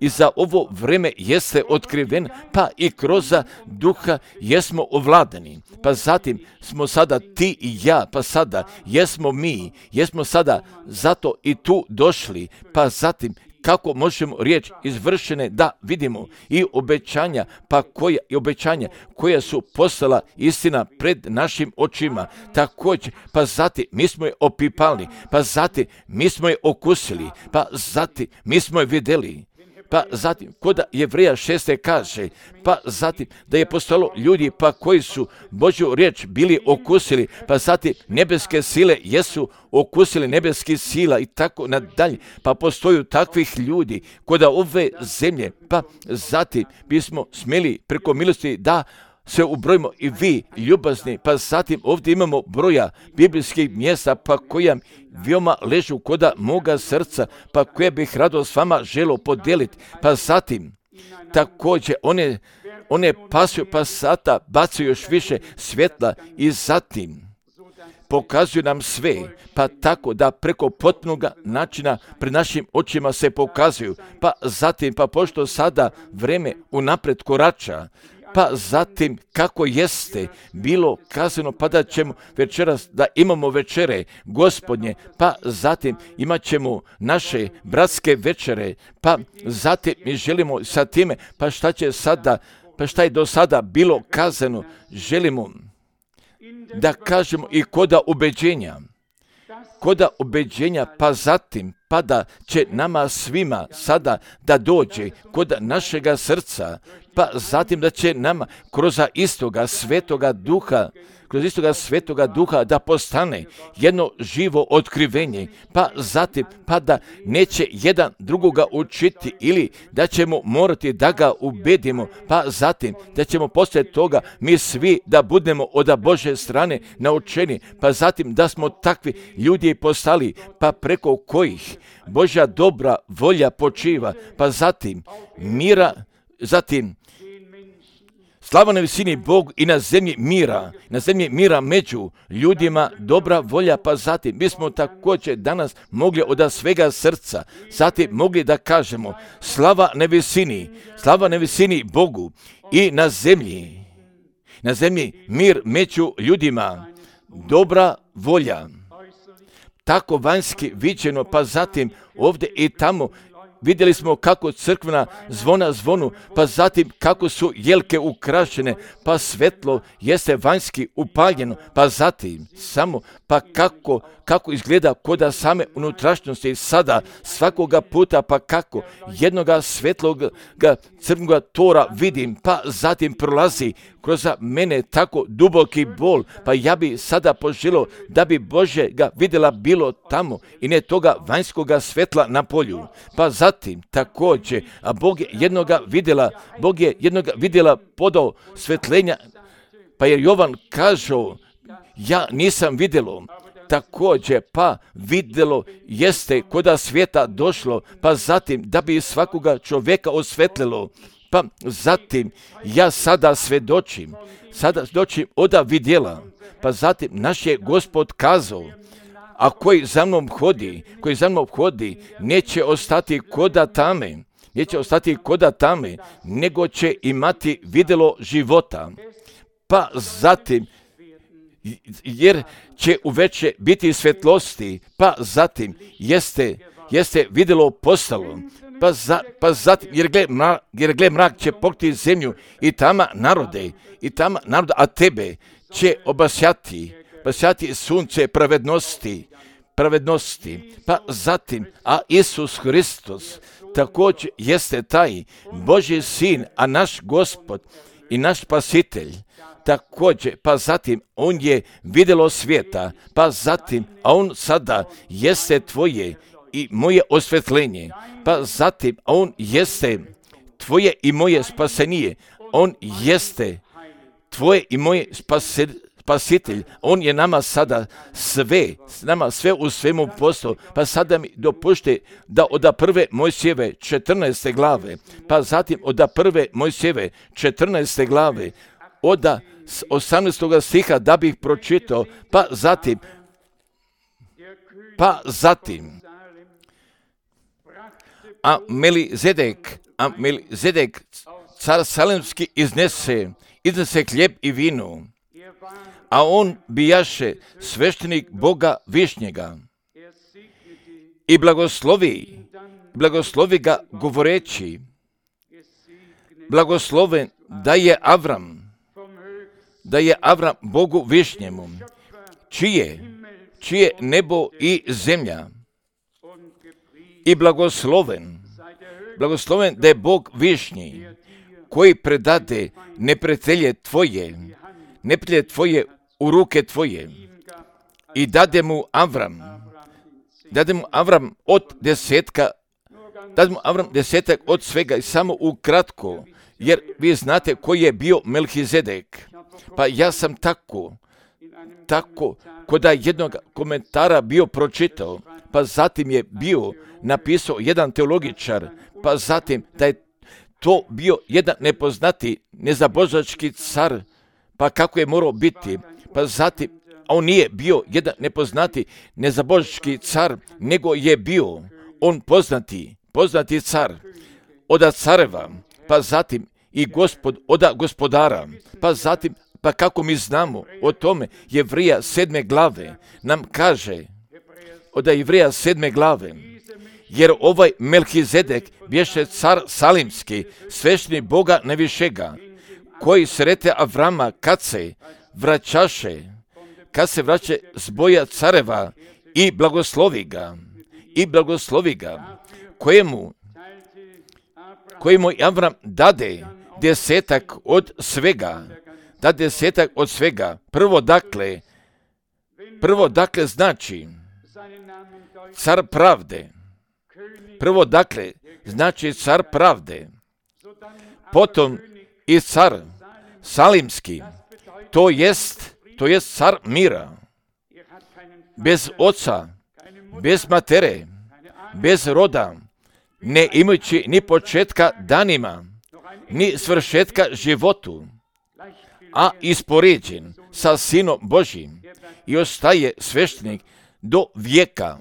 I za ovo vreme jeste otkriven, pa i kroz duha jesmo ovladani. Pa zatim smo sada ti i ja, pa sada jesmo mi, jesmo sada zato i tu došli, pa zatim kako možemo riječ izvršene da vidimo i obećanja, pa koja, i obećanja koja su postala istina pred našim očima. Također, pa zatim mi smo je opipali, pa zatim mi smo je okusili, pa zatim mi smo je vidjeli. Pa zatim, kod Jevreja šeste kaže, pa zatim da je postalo ljudi pa koji su Božju riječ bili okusili, pa zatim nebeske sile jesu okusili nebeskih sila i tako nadalje. Pa postoju takvih ljudi kod ove zemlje, pa zatim bismo smjeli preko milosti da se ubrojimo i vi ljubazni, pa zatim ovdje imamo broja biblijskih mjesta pa koja veoma ležu koda moga srca, pa koje bih rado s vama želo podijeliti, pa zatim također one, one pasuju, pa sata bacaju još više svjetla i zatim pokazuju nam sve, pa tako da preko potpunog načina pred našim očima se pokazuju, pa zatim, pa pošto sada vreme unaprijed korača, pa zatim kako jeste bilo kazano, pa da ćemo večeras da imamo večere Gospodnje, pa zatim imat ćemo naše bratske večere, pa zatim mi želimo sa time, pa šta će sada, pa šta je do sada bilo kazano, želimo da kažemo i koda ubeđenja, koda ubeđenja, pa zatim pa da će nama svima sada da dođe kod našega srca, pa zatim da će nama kroz istoga svetoga duha, kroz istoga svetoga duha da postane jedno živo otkrivenje, pa zatim pa da neće jedan drugoga učiti ili da ćemo morati da ga ubedimo, pa zatim da ćemo poslije toga mi svi da budemo od Božje strane naučeni, pa zatim da smo takvi ljudi postali, pa preko kojih Božja dobra volja počiva, pa zatim mira, zatim slava na visini Bog i na zemlji mira, na zemlji mira među ljudima dobra volja, pa zatim mi smo također danas mogli od svega srca, zatim mogli da kažemo slava na visini, slava na visini Bogu i na zemlji, na zemlji mir među ljudima, dobra volja. Tako vanjski viđeno, pa zatim ovdje i tamo vidjeli smo kako crkvena zvona zvonu, pa zatim kako su jelke ukrašene, pa svetlo jeste vanjski upaljeno, pa zatim samo pa kako, kako izgleda koda same unutrašnjosti sada svakoga puta, pa kako jednoga svetloga crnoga tora vidim, pa zatim prolazi kroz mene tako duboki bol, pa ja bi sada poželio da bi Bože ga vidjela bilo tamo i ne toga vanjskoga svetla na polju. Pa zatim također, a Bog je jednoga vidjela, Bog je jednoga vidjela podao svetlenja, pa je Jovan kažao, ja nisam vidjelo, također pa vidjelo jeste koda svijeta došlo, pa zatim da bi svakoga čovjeka osvetlilo. Pa zatim ja sada svedočim, sada svedočim oda vidjela, pa zatim naš je Gospod kazao, a koji za mnom hodi, koji za mnom hodi, neće ostati koda tame, neće ostati koda tame, nego će imati vidjelo života. Pa zatim, jer će uveče biti svetlosti, pa zatim jeste, jeste vidjelo postalo, pa, za, pa zatim, jer gle, mrak, jer gle mrak će pokriti zemlju i tama narode, i tama narode, a tebe će obasjati, obasjati sunce pravednosti, pravednosti, pa zatim, a Isus Hristos također jeste taj Božji sin, a naš Gospod i naš Spasitelj, također, pa zatim, on je vidjelo svijeta, pa zatim, a on sada jeste tvoje i moje osvetljenje, pa zatim, a on jeste tvoje i moje spasenije, on jeste tvoje i moje spase, spasitelj, on je nama sada sve, nama sve u svemu postao, pa sada mi dopušte da od prve Mojsijeve četrnaeste glave, pa zatim od prve Mojsijeve četrnaeste glave, od osamnaestog stiha da bih pročitao, pa zatim, pa zatim, a Melizedek, a Melizedek, car salemski iznese, iznese hljeb i vino, a on bijaše sveštenik Boga Višnjega i blagoslovi, blagoslovi ga govoreći, blagosloven da je Avram, da je Avram Bogu višnjemu, čije, čije nebo i zemlja, i blagosloven, blagosloven da je Bog višnji, koji predade neprijatelje tvoje, neprijatelje tvoje u ruke tvoje, i dade mu Avram, dade mu Avram od desetka, dade mu Avram desetak od svega, i samo ukratko, jer vi znate koji je bio Melhizedek. Pa ja sam tako, tako, kod jednog komentara bio pročitao, pa zatim je bio napisao jedan teologičar, pa zatim da je to bio jedan nepoznati nezabožački car, pa kako je morao biti, pa zatim, a on nije bio jedan nepoznati nezabožački car, nego je bio on poznati, poznati car, oda careva, pa zatim i gospod, oda gospodara, pa zatim, pa kako mi znamo o tome, Jevrija sedme glave nam kaže, oda Jevrija sedme glave, jer ovaj Melhizedek bješe car salimski, svešni Boga najvišega, koji srete Avrama kad se vraćaše, kad se vraća s boja careva, i blagoslovi ga, i blagoslovi ga, kojemu, kojemu Avram dade desetak od svega, da desetak od svega. Prvo dakle, prvo dakle znači car pravde. Prvo dakle znači car pravde. Potom i car salimski, to jest, to jest car mira. Bez oca, bez matere, bez roda, ne imajući ni početka danima, ni svršetka životu, a ispoređen sa Sinom Božjim i ostaje sveštenik do vijeka.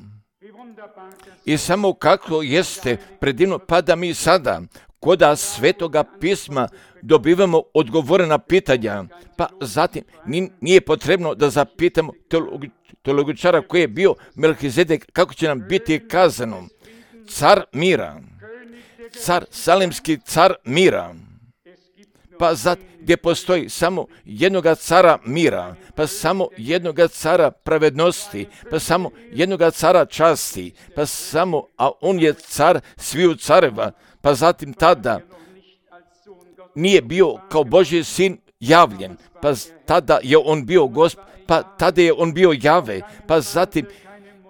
I samo kako jeste predivno, pa da mi sada koda Svetoga pisma dobivamo odgovore na pitanja, pa zatim nije potrebno da zapitamo teologičara koji je bio Melhizedek, kako će nam biti kazano. Car mira, car salimski, car mira, pa zat gdje postoji samo jednoga cara mira, pa samo jednoga cara pravednosti, pa samo jednoga cara časti, pa samo, a on je car sviju careva, pa zatim tada nije bio kao Božji sin javljen, pa tada je on bio Gospod, pa tada je on bio Jave, pa zatim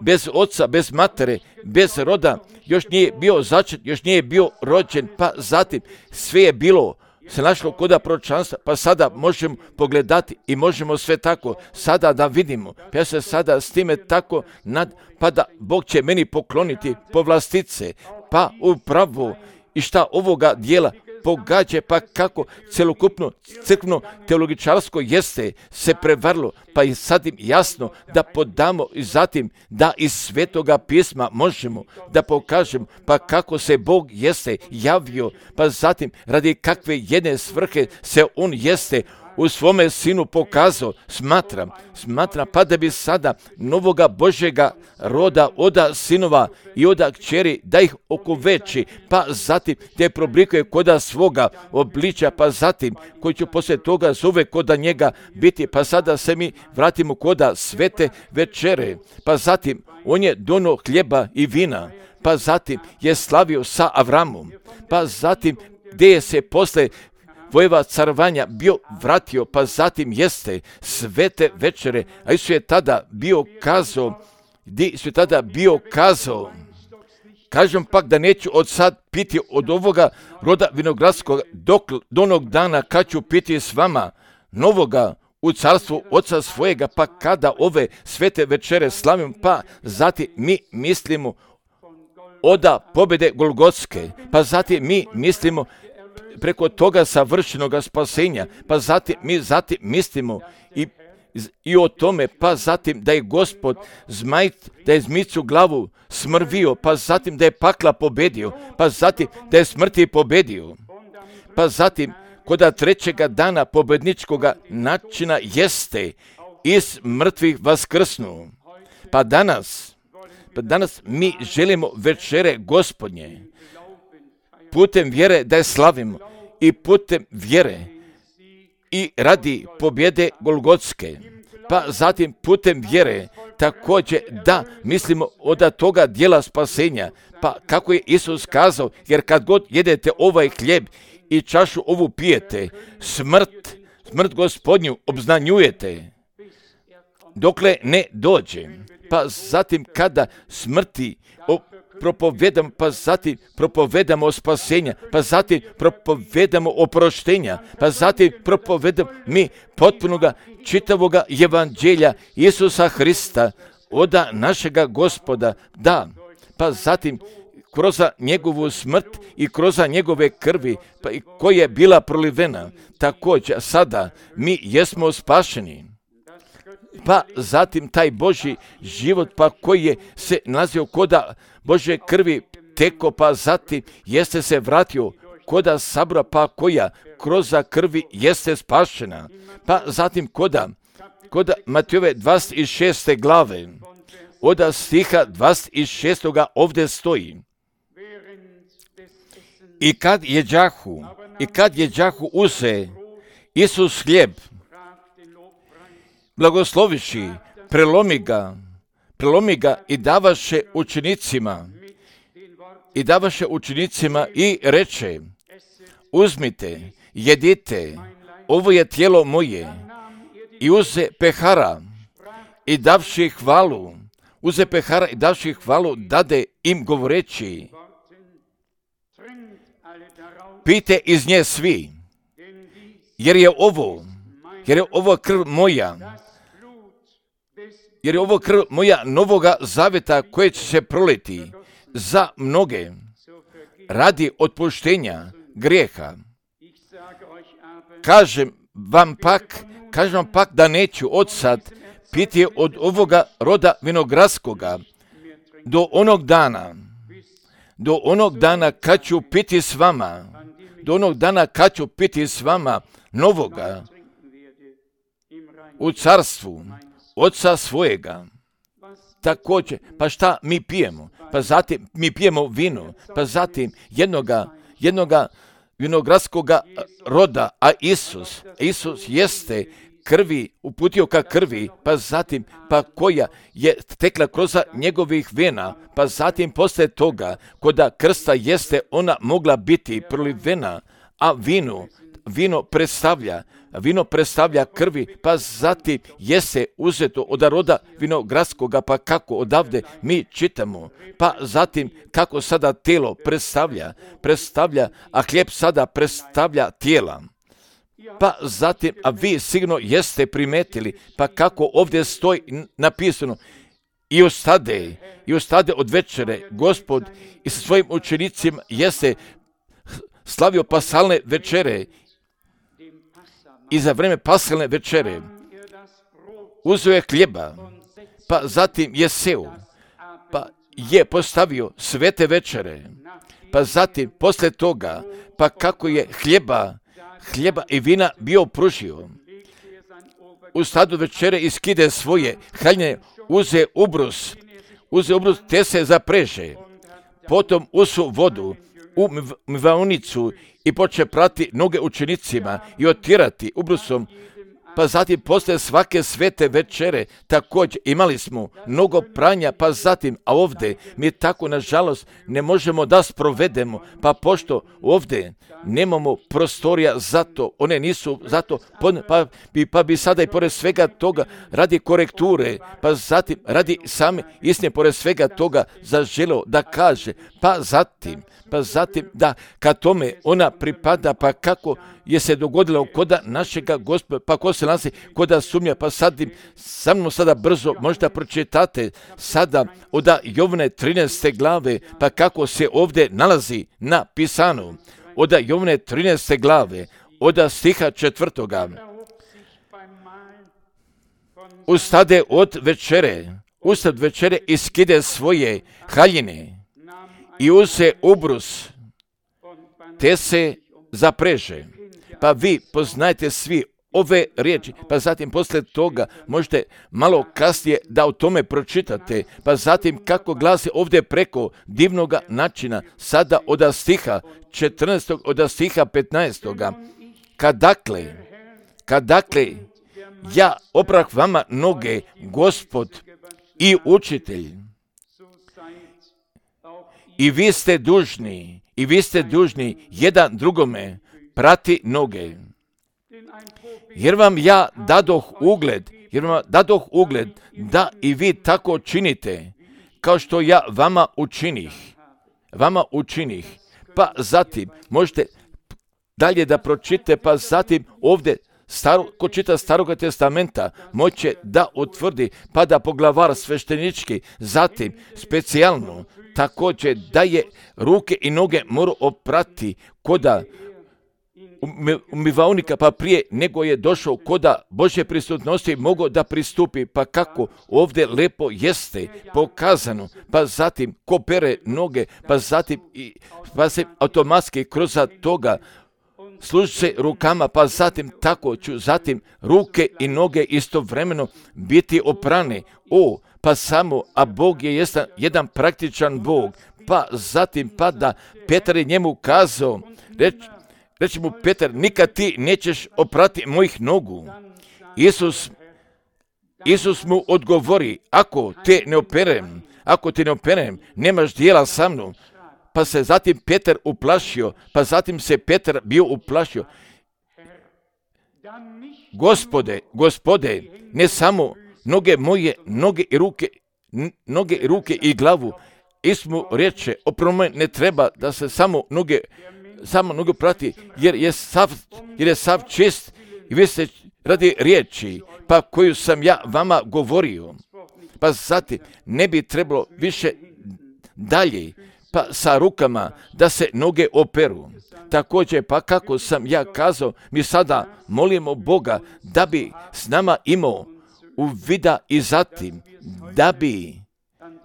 bez oca, bez matere, bez roda, još nije bio začet, još nije bio rođen, pa zatim sve je bilo, se našlo koda proročanstva, pa sada možemo pogledati i možemo sve tako sada da vidimo. Pa ja se sada s time tako nad, pa da Bog će meni pokloniti povlastice, pa upravo i šta ovoga dijela pogađa, pa kako celokupno crkveno teologičarsko jeste se prevarilo, pa i sad im jasno da podamo i zatim da iz Svetoga pisma možemo da pokažemo, pa kako se Bog jeste javio, pa zatim radi kakve jedne svrhe se on jeste u svome sinu pokazao. Smatram, smatram pa da bi sada novoga Božjega roda oda sinova i oda kćeri da ih okoveči, pa zatim te problikuje koda svoga obličja, pa zatim koji će poslije toga zove koda njega biti, pa sada se mi vratimo koda svete večere, pa zatim on je dono hljeba i vina, pa zatim je slavio sa Avramom, pa zatim gdje je se posle vojeva carovanja bio vratio, pa zatim jeste svete večere, a Isus je tada bio kazao, di su tada bio kazao, kažem pak da neću od sad piti od ovoga roda vinogradskog dok do onog dana kad ću piti s vama novoga u carstvu oca svojega, pa kada ove svete večere slavim, pa zatim mi mislimo oda pobjede Golgotske, pa zatim mi mislimo preko toga savršenoga spasenja, pa zatim mi zatim mislimo i, i o tome, pa zatim da je Gospod zmaj, da je zmicu glavu smrvio, pa zatim da je pakla pobedio, pa zatim da je smrti pobedio, pa zatim koda trećega dana pobedničkoga načina jeste iz mrtvih vaskrsnu. Pa danas, Pa danas mi želimo večere Gospodnje putem vjere da je slavimo i putem vjere i radi pobjede Golgotske. Pa zatim putem vjere također da mislimo od toga dijela spasenja. Pa kako je Isus kazao, jer kad god jedete ovaj hljeb i čašu ovu pijete, smrt, smrt Gospodnju obznanjujete, dokle ne dođe. Pa zatim kada smrti o, propovedamo, pa zatim propovedamo spasenja, pa zatim propovedamo oproštenja, pa zatim propovedamo mi potpunoga čitavoga evanđelja Isusa Hrista, oda našega Gospoda, da, pa zatim kroz njegovu smrt i kroz njegove krvi, pa i koja je bila prolivena, također sada mi jesmo spašeni. Pa zatim taj Božji život, pa koji je se nalazio koda Božje krvi teko, pa zatim jeste se vratio koda sabra, pa koja kroz krvi jeste spašena. Pa zatim koda, koda Matejove dvadeset šeste glave, oda stiha dvadeset šestoga ovdje stoji. I kad jeđahu, i kad jeđahu uze Isus hljeb, blagosloviši, prelomi ga, prelomi ga i davaše učenicima, i davaše učenicima i reče, uzmite, jedite, ovo je tijelo moje, i uze pehara i davši hvalu, uze pehara i davši hvalu, dade im govoreći, pijte iz nje svi, jer je ovo, jer je ovo krv moja, jer je ovo krv moja novoga zaveta koje će se proliti za mnoge radi otpuštenja grijeha. Kažem vam pak, kažem vam pak da neću odsad piti od ovoga roda vinogradskoga do onog dana, do onog dana kad ću piti s vama, do onog dana kad ću piti s vama novoga u carstvu Oca svojega. Također, pa šta mi pijemo? Pa zatim mi pijemo vino, pa zatim jednoga, jednoga vinogradskoga roda, a Isus, Isus jeste krvi, uputio ka krvi, pa zatim, pa koja je tekla kroz njegovih vena, pa zatim poslije toga, koda krsta jeste ona mogla biti prolivena, a vino, vino predstavlja, vino predstavlja krvi, pa zatim jeste uzeto od roda vinogradskoga, pa kako odavde mi čitamo, pa zatim kako sada tijelo predstavlja, predstavlja, a hljeb sada predstavlja tijela. Pa zatim, a vi sigurno jeste primetili, pa kako ovdje stoji napisano, i ustade, i ustade od večere, Gospod i sa svojim učenicima jeste slavio pasalne večere, i za vreme pasalne večere uzeo je hljeba, pa zatim je seo, pa je postavio svete večere, pa zatim poslije toga, pa kako je hljeba, hljeba i vina bio pružio, u stadu večere iskide svoje haljine, uze ubrus, uze ubrus te se zapreže, potom usu vodu u mvaonicu i poče prati noge učenicima i otirati ubrusom, pa zatim posle svake svete večere također imali smo mnogo pranja, pa zatim, a ovdje mi tako nažalost ne možemo da sprovedemo, pa pošto ovdje nemamo prostorija za to, one nisu zato, pa bi, pa bi sada i pored svega toga radi korekture, pa zatim radi same istine pored svega toga zaželio da kaže, pa zatim, pa zatim da kad tome ona pripada, pa kako je se dogodilo koda našega Gospoda, pa ko se nalazi koda sumnja, pa sadim, sa mnom sada brzo možda pročitate sada od Jovne trinaeste glave, pa kako se ovdje nalazi na pisanu, od Jovne trinaeste glave, od stiha četvrtoga. Ustade od večere, ustad večere iskide svoje haljine i uze ubrus, te se zapreže. Pa vi poznajte svi ove riječi, pa zatim poslije toga možete malo kasnije da o tome pročitate, pa zatim kako glasi ovdje preko divnoga načina, sada od stiha četrnaestog od stiha petnaestog. Kad dakle, kad dakle, ja oprah vama noge, Gospod i učitelj, i vi ste dužni, i vi ste dužni jedan drugome prati noge. Jer vam ja dadoh ugled, jer vam dadoh ugled da i vi tako činite, kao što ja vama učinih. Vama učinih. Pa zatim, možete dalje da pročite, pa zatim ovdje, staro, ko čita Staroga testamenta, moće da utvrdi, pa da poglavar sveštenički, zatim specijalno, također da je ruke i noge morao oprati koda umivaonika, pa prije nego je došao koda Božje prisutnosti mogao da pristupi, pa kako ovdje lepo jeste pokazano, pa zatim ko pere noge, pa zatim pa se automatski kroz toga služi se rukama, pa zatim tako ću zatim ruke i noge istovremeno biti oprane. O, pa samo, a Bog je jedan, jedan praktičan Bog, pa zatim pa da Petar je njemu kazao, reč, reći mu Petar, nikad ti nećeš oprati mojih nogu. Isus, Isus mu odgovori, ako te ne operem, ako te ne operem, nemaš dijela sa mnom. Pa se zatim Petar uplašio, pa zatim se Petar bio uplašio. Gospode, Gospode, ne samo noge moje, noge i ruke, noge i ruke i glavu. Isus mu reče, oprome ne treba da se samo noge, samo noge prati, jer je sav, jer je sav čist i vi ste radi riječi, pa koju sam ja vama govorio. Pa zatim ne bi trebalo više dalje, pa sa rukama da se noge operu. Također, pa kako sam ja kazao, mi sada molimo Boga da bi s nama imao uvida i zatim da bi,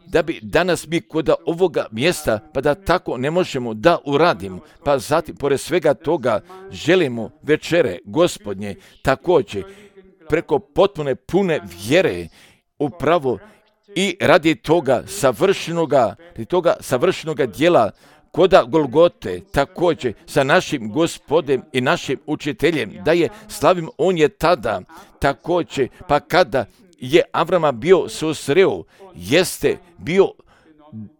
da bi danas mi kod ovoga mjesta, pa da tako ne možemo da uradimo, pa zatim, pored svega toga, želimo večere Gospodnje, također, preko potpune pune vjere, upravo i radi toga savršenoga, radi toga savršenoga djela koda Golgote, također sa našim Gospodem i našim učiteljem, da je slavim, on je tada, također, pa kada je Avrama bio susreo, jeste bio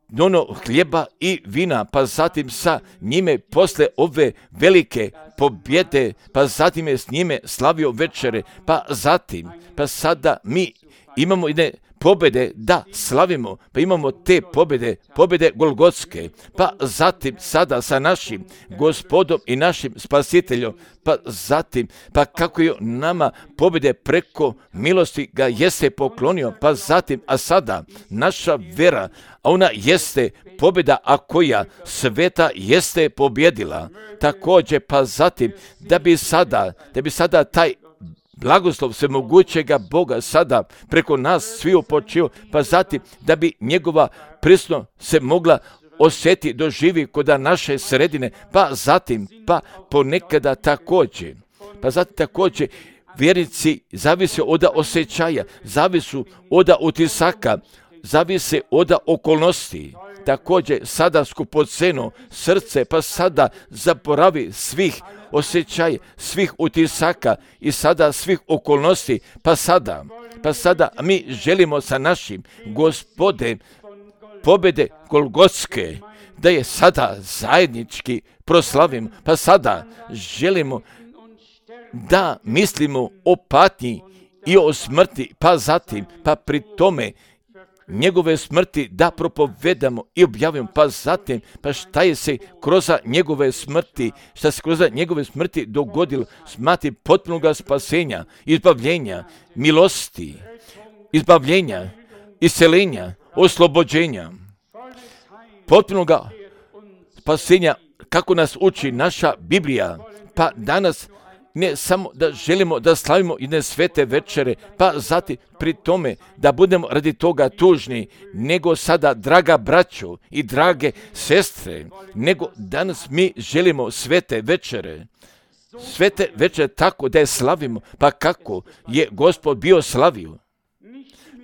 dono hljeba i vina, pa zatim sa njime posle ove velike pobjede, pa zatim je s njime slavio večere, pa zatim, pa sada mi imamo jedne pobjede da slavimo, pa imamo te pobjede, pobjede Golgotske, pa zatim sada sa našim Gospodom i našim Spasiteljom, pa zatim, pa kako je nama pobjede preko milosti ga jeste poklonio, pa zatim, a sada naša vera, a ona jeste pobjeda, a koja sveta jeste pobjedila. Također, pa zatim, da bi sada, da bi sada taj blagoslov svemogućega Boga sada preko nas svi upočio, pa zatim da bi njegova prisutnost se mogla osjeti, doživi kod naše sredine, pa zatim, pa ponekada također, pa zatim također vjernici zavise od osjećaja, zavisu od utisaka, zavise od okolnosti. Također sada skupoceno srce, pa sada zaboravi svih osjećaja, svih utisaka i sada svih okolnosti, pa sada, pa sada mi želimo sa našim Gospodem pobjede Golgotske, da je sada zajednički proslavimo, pa sada želimo da mislimo o patnji i o smrti, pa zatim, pa pri tome njegove smrti da propovedamo i objavimo, pa zatim, pa šta je se kroz njegove smrti, šta se kroz njegove smrti dogodilo, smati potpunog spasenja, izbavljenja, milosti, izbavljenja, iscelenja, oslobođenja, potpunog spasenja, kako nas uči naša Biblija, pa danas ne samo da želimo da slavimo jedne svete večere, pa zatim pri tome da budemo radi toga tužni, nego sada, draga braćo i drage sestre, nego danas mi želimo svete večere, sve te večer tako da je slavimo, pa kako je Gospod bio slavio.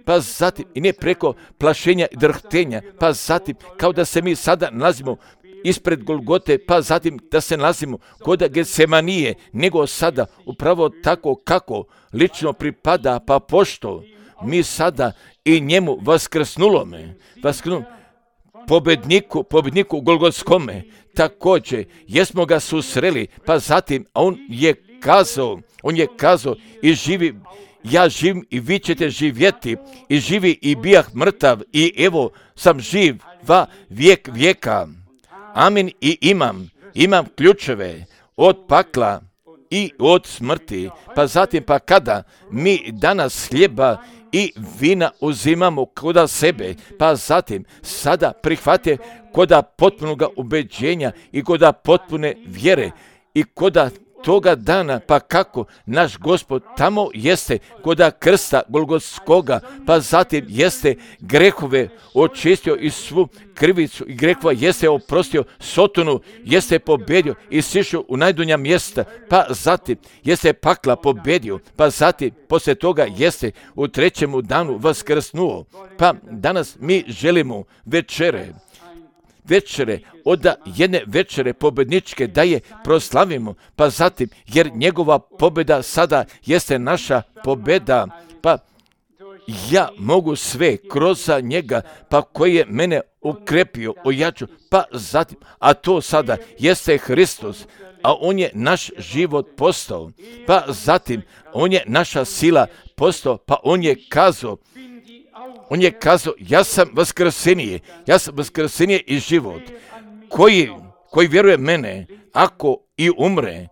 Pa zatim, i ne preko plašenja i drhtenja, pa zatim, kao da se mi sada nalazimo ispred Golgote, pa zatim da se nalazimo kod Getsemanije, nego sada upravo tako kako lično pripada, pa pošto mi sada i njemu vaskrsnulome, vaskrsnulome, pobedniku, pobedniku Golgotskome, također, jesmo ga susreli, pa zatim, a on je kazao, on je kazao i živi, ja živim i vi ćete živjeti, i živi i bijah mrtav, i evo sam živ va vijek vijeka. Amin, i imam, imam ključeve od pakla i od smrti. Pa zatim, pa kada mi danas hljeba i vina uzimamo koda sebe, pa zatim sada prihvate koda potpunoga ubeđenja i koda potpune vjere i koda toga dana, pa kako naš Gospod tamo jeste koda krsta Golgotskoga, pa zatim jeste grehove očistio i svu krivicu i grehova jeste oprostio Sotonu, jeste pobedio i sišao u najdunja mjesta, pa zatim jeste pakla pobedio, pa zatim poslije toga jeste u trećemu danu vaskrsnuo. Pa danas mi želimo večere, večere, od jedne večere pobedničke da je proslavimo, pa zatim, jer njegova pobjeda sada jeste naša pobjeda, pa ja mogu sve kroz njega, pa koji je mene ukrepio, ojačao, pa zatim, a to sada jeste Hristos, a on je naš život postao, pa zatim, on je naša sila postao, pa on je kazao, On je kazao, ja sam vaskrsenije, ja sam vaskrsenije i život, koji, koji vjeruje mene, ako i umre,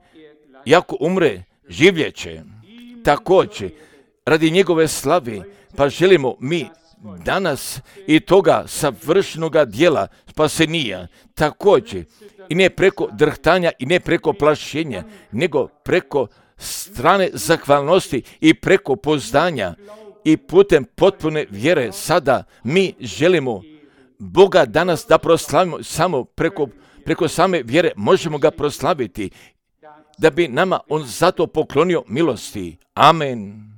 i ako umre, življeće. Također, radi njegove slave, pa želimo mi danas i toga savršenoga dijela spasenija, također, i ne preko drhtanja i ne preko plašenja, nego preko strane zahvalnosti i preko poznanja, i putem potpune vjere sada mi želimo Boga danas da proslavimo samo preko, preko same vjere, možemo ga proslaviti, da bi nama on zato poklonio milosti. Amen.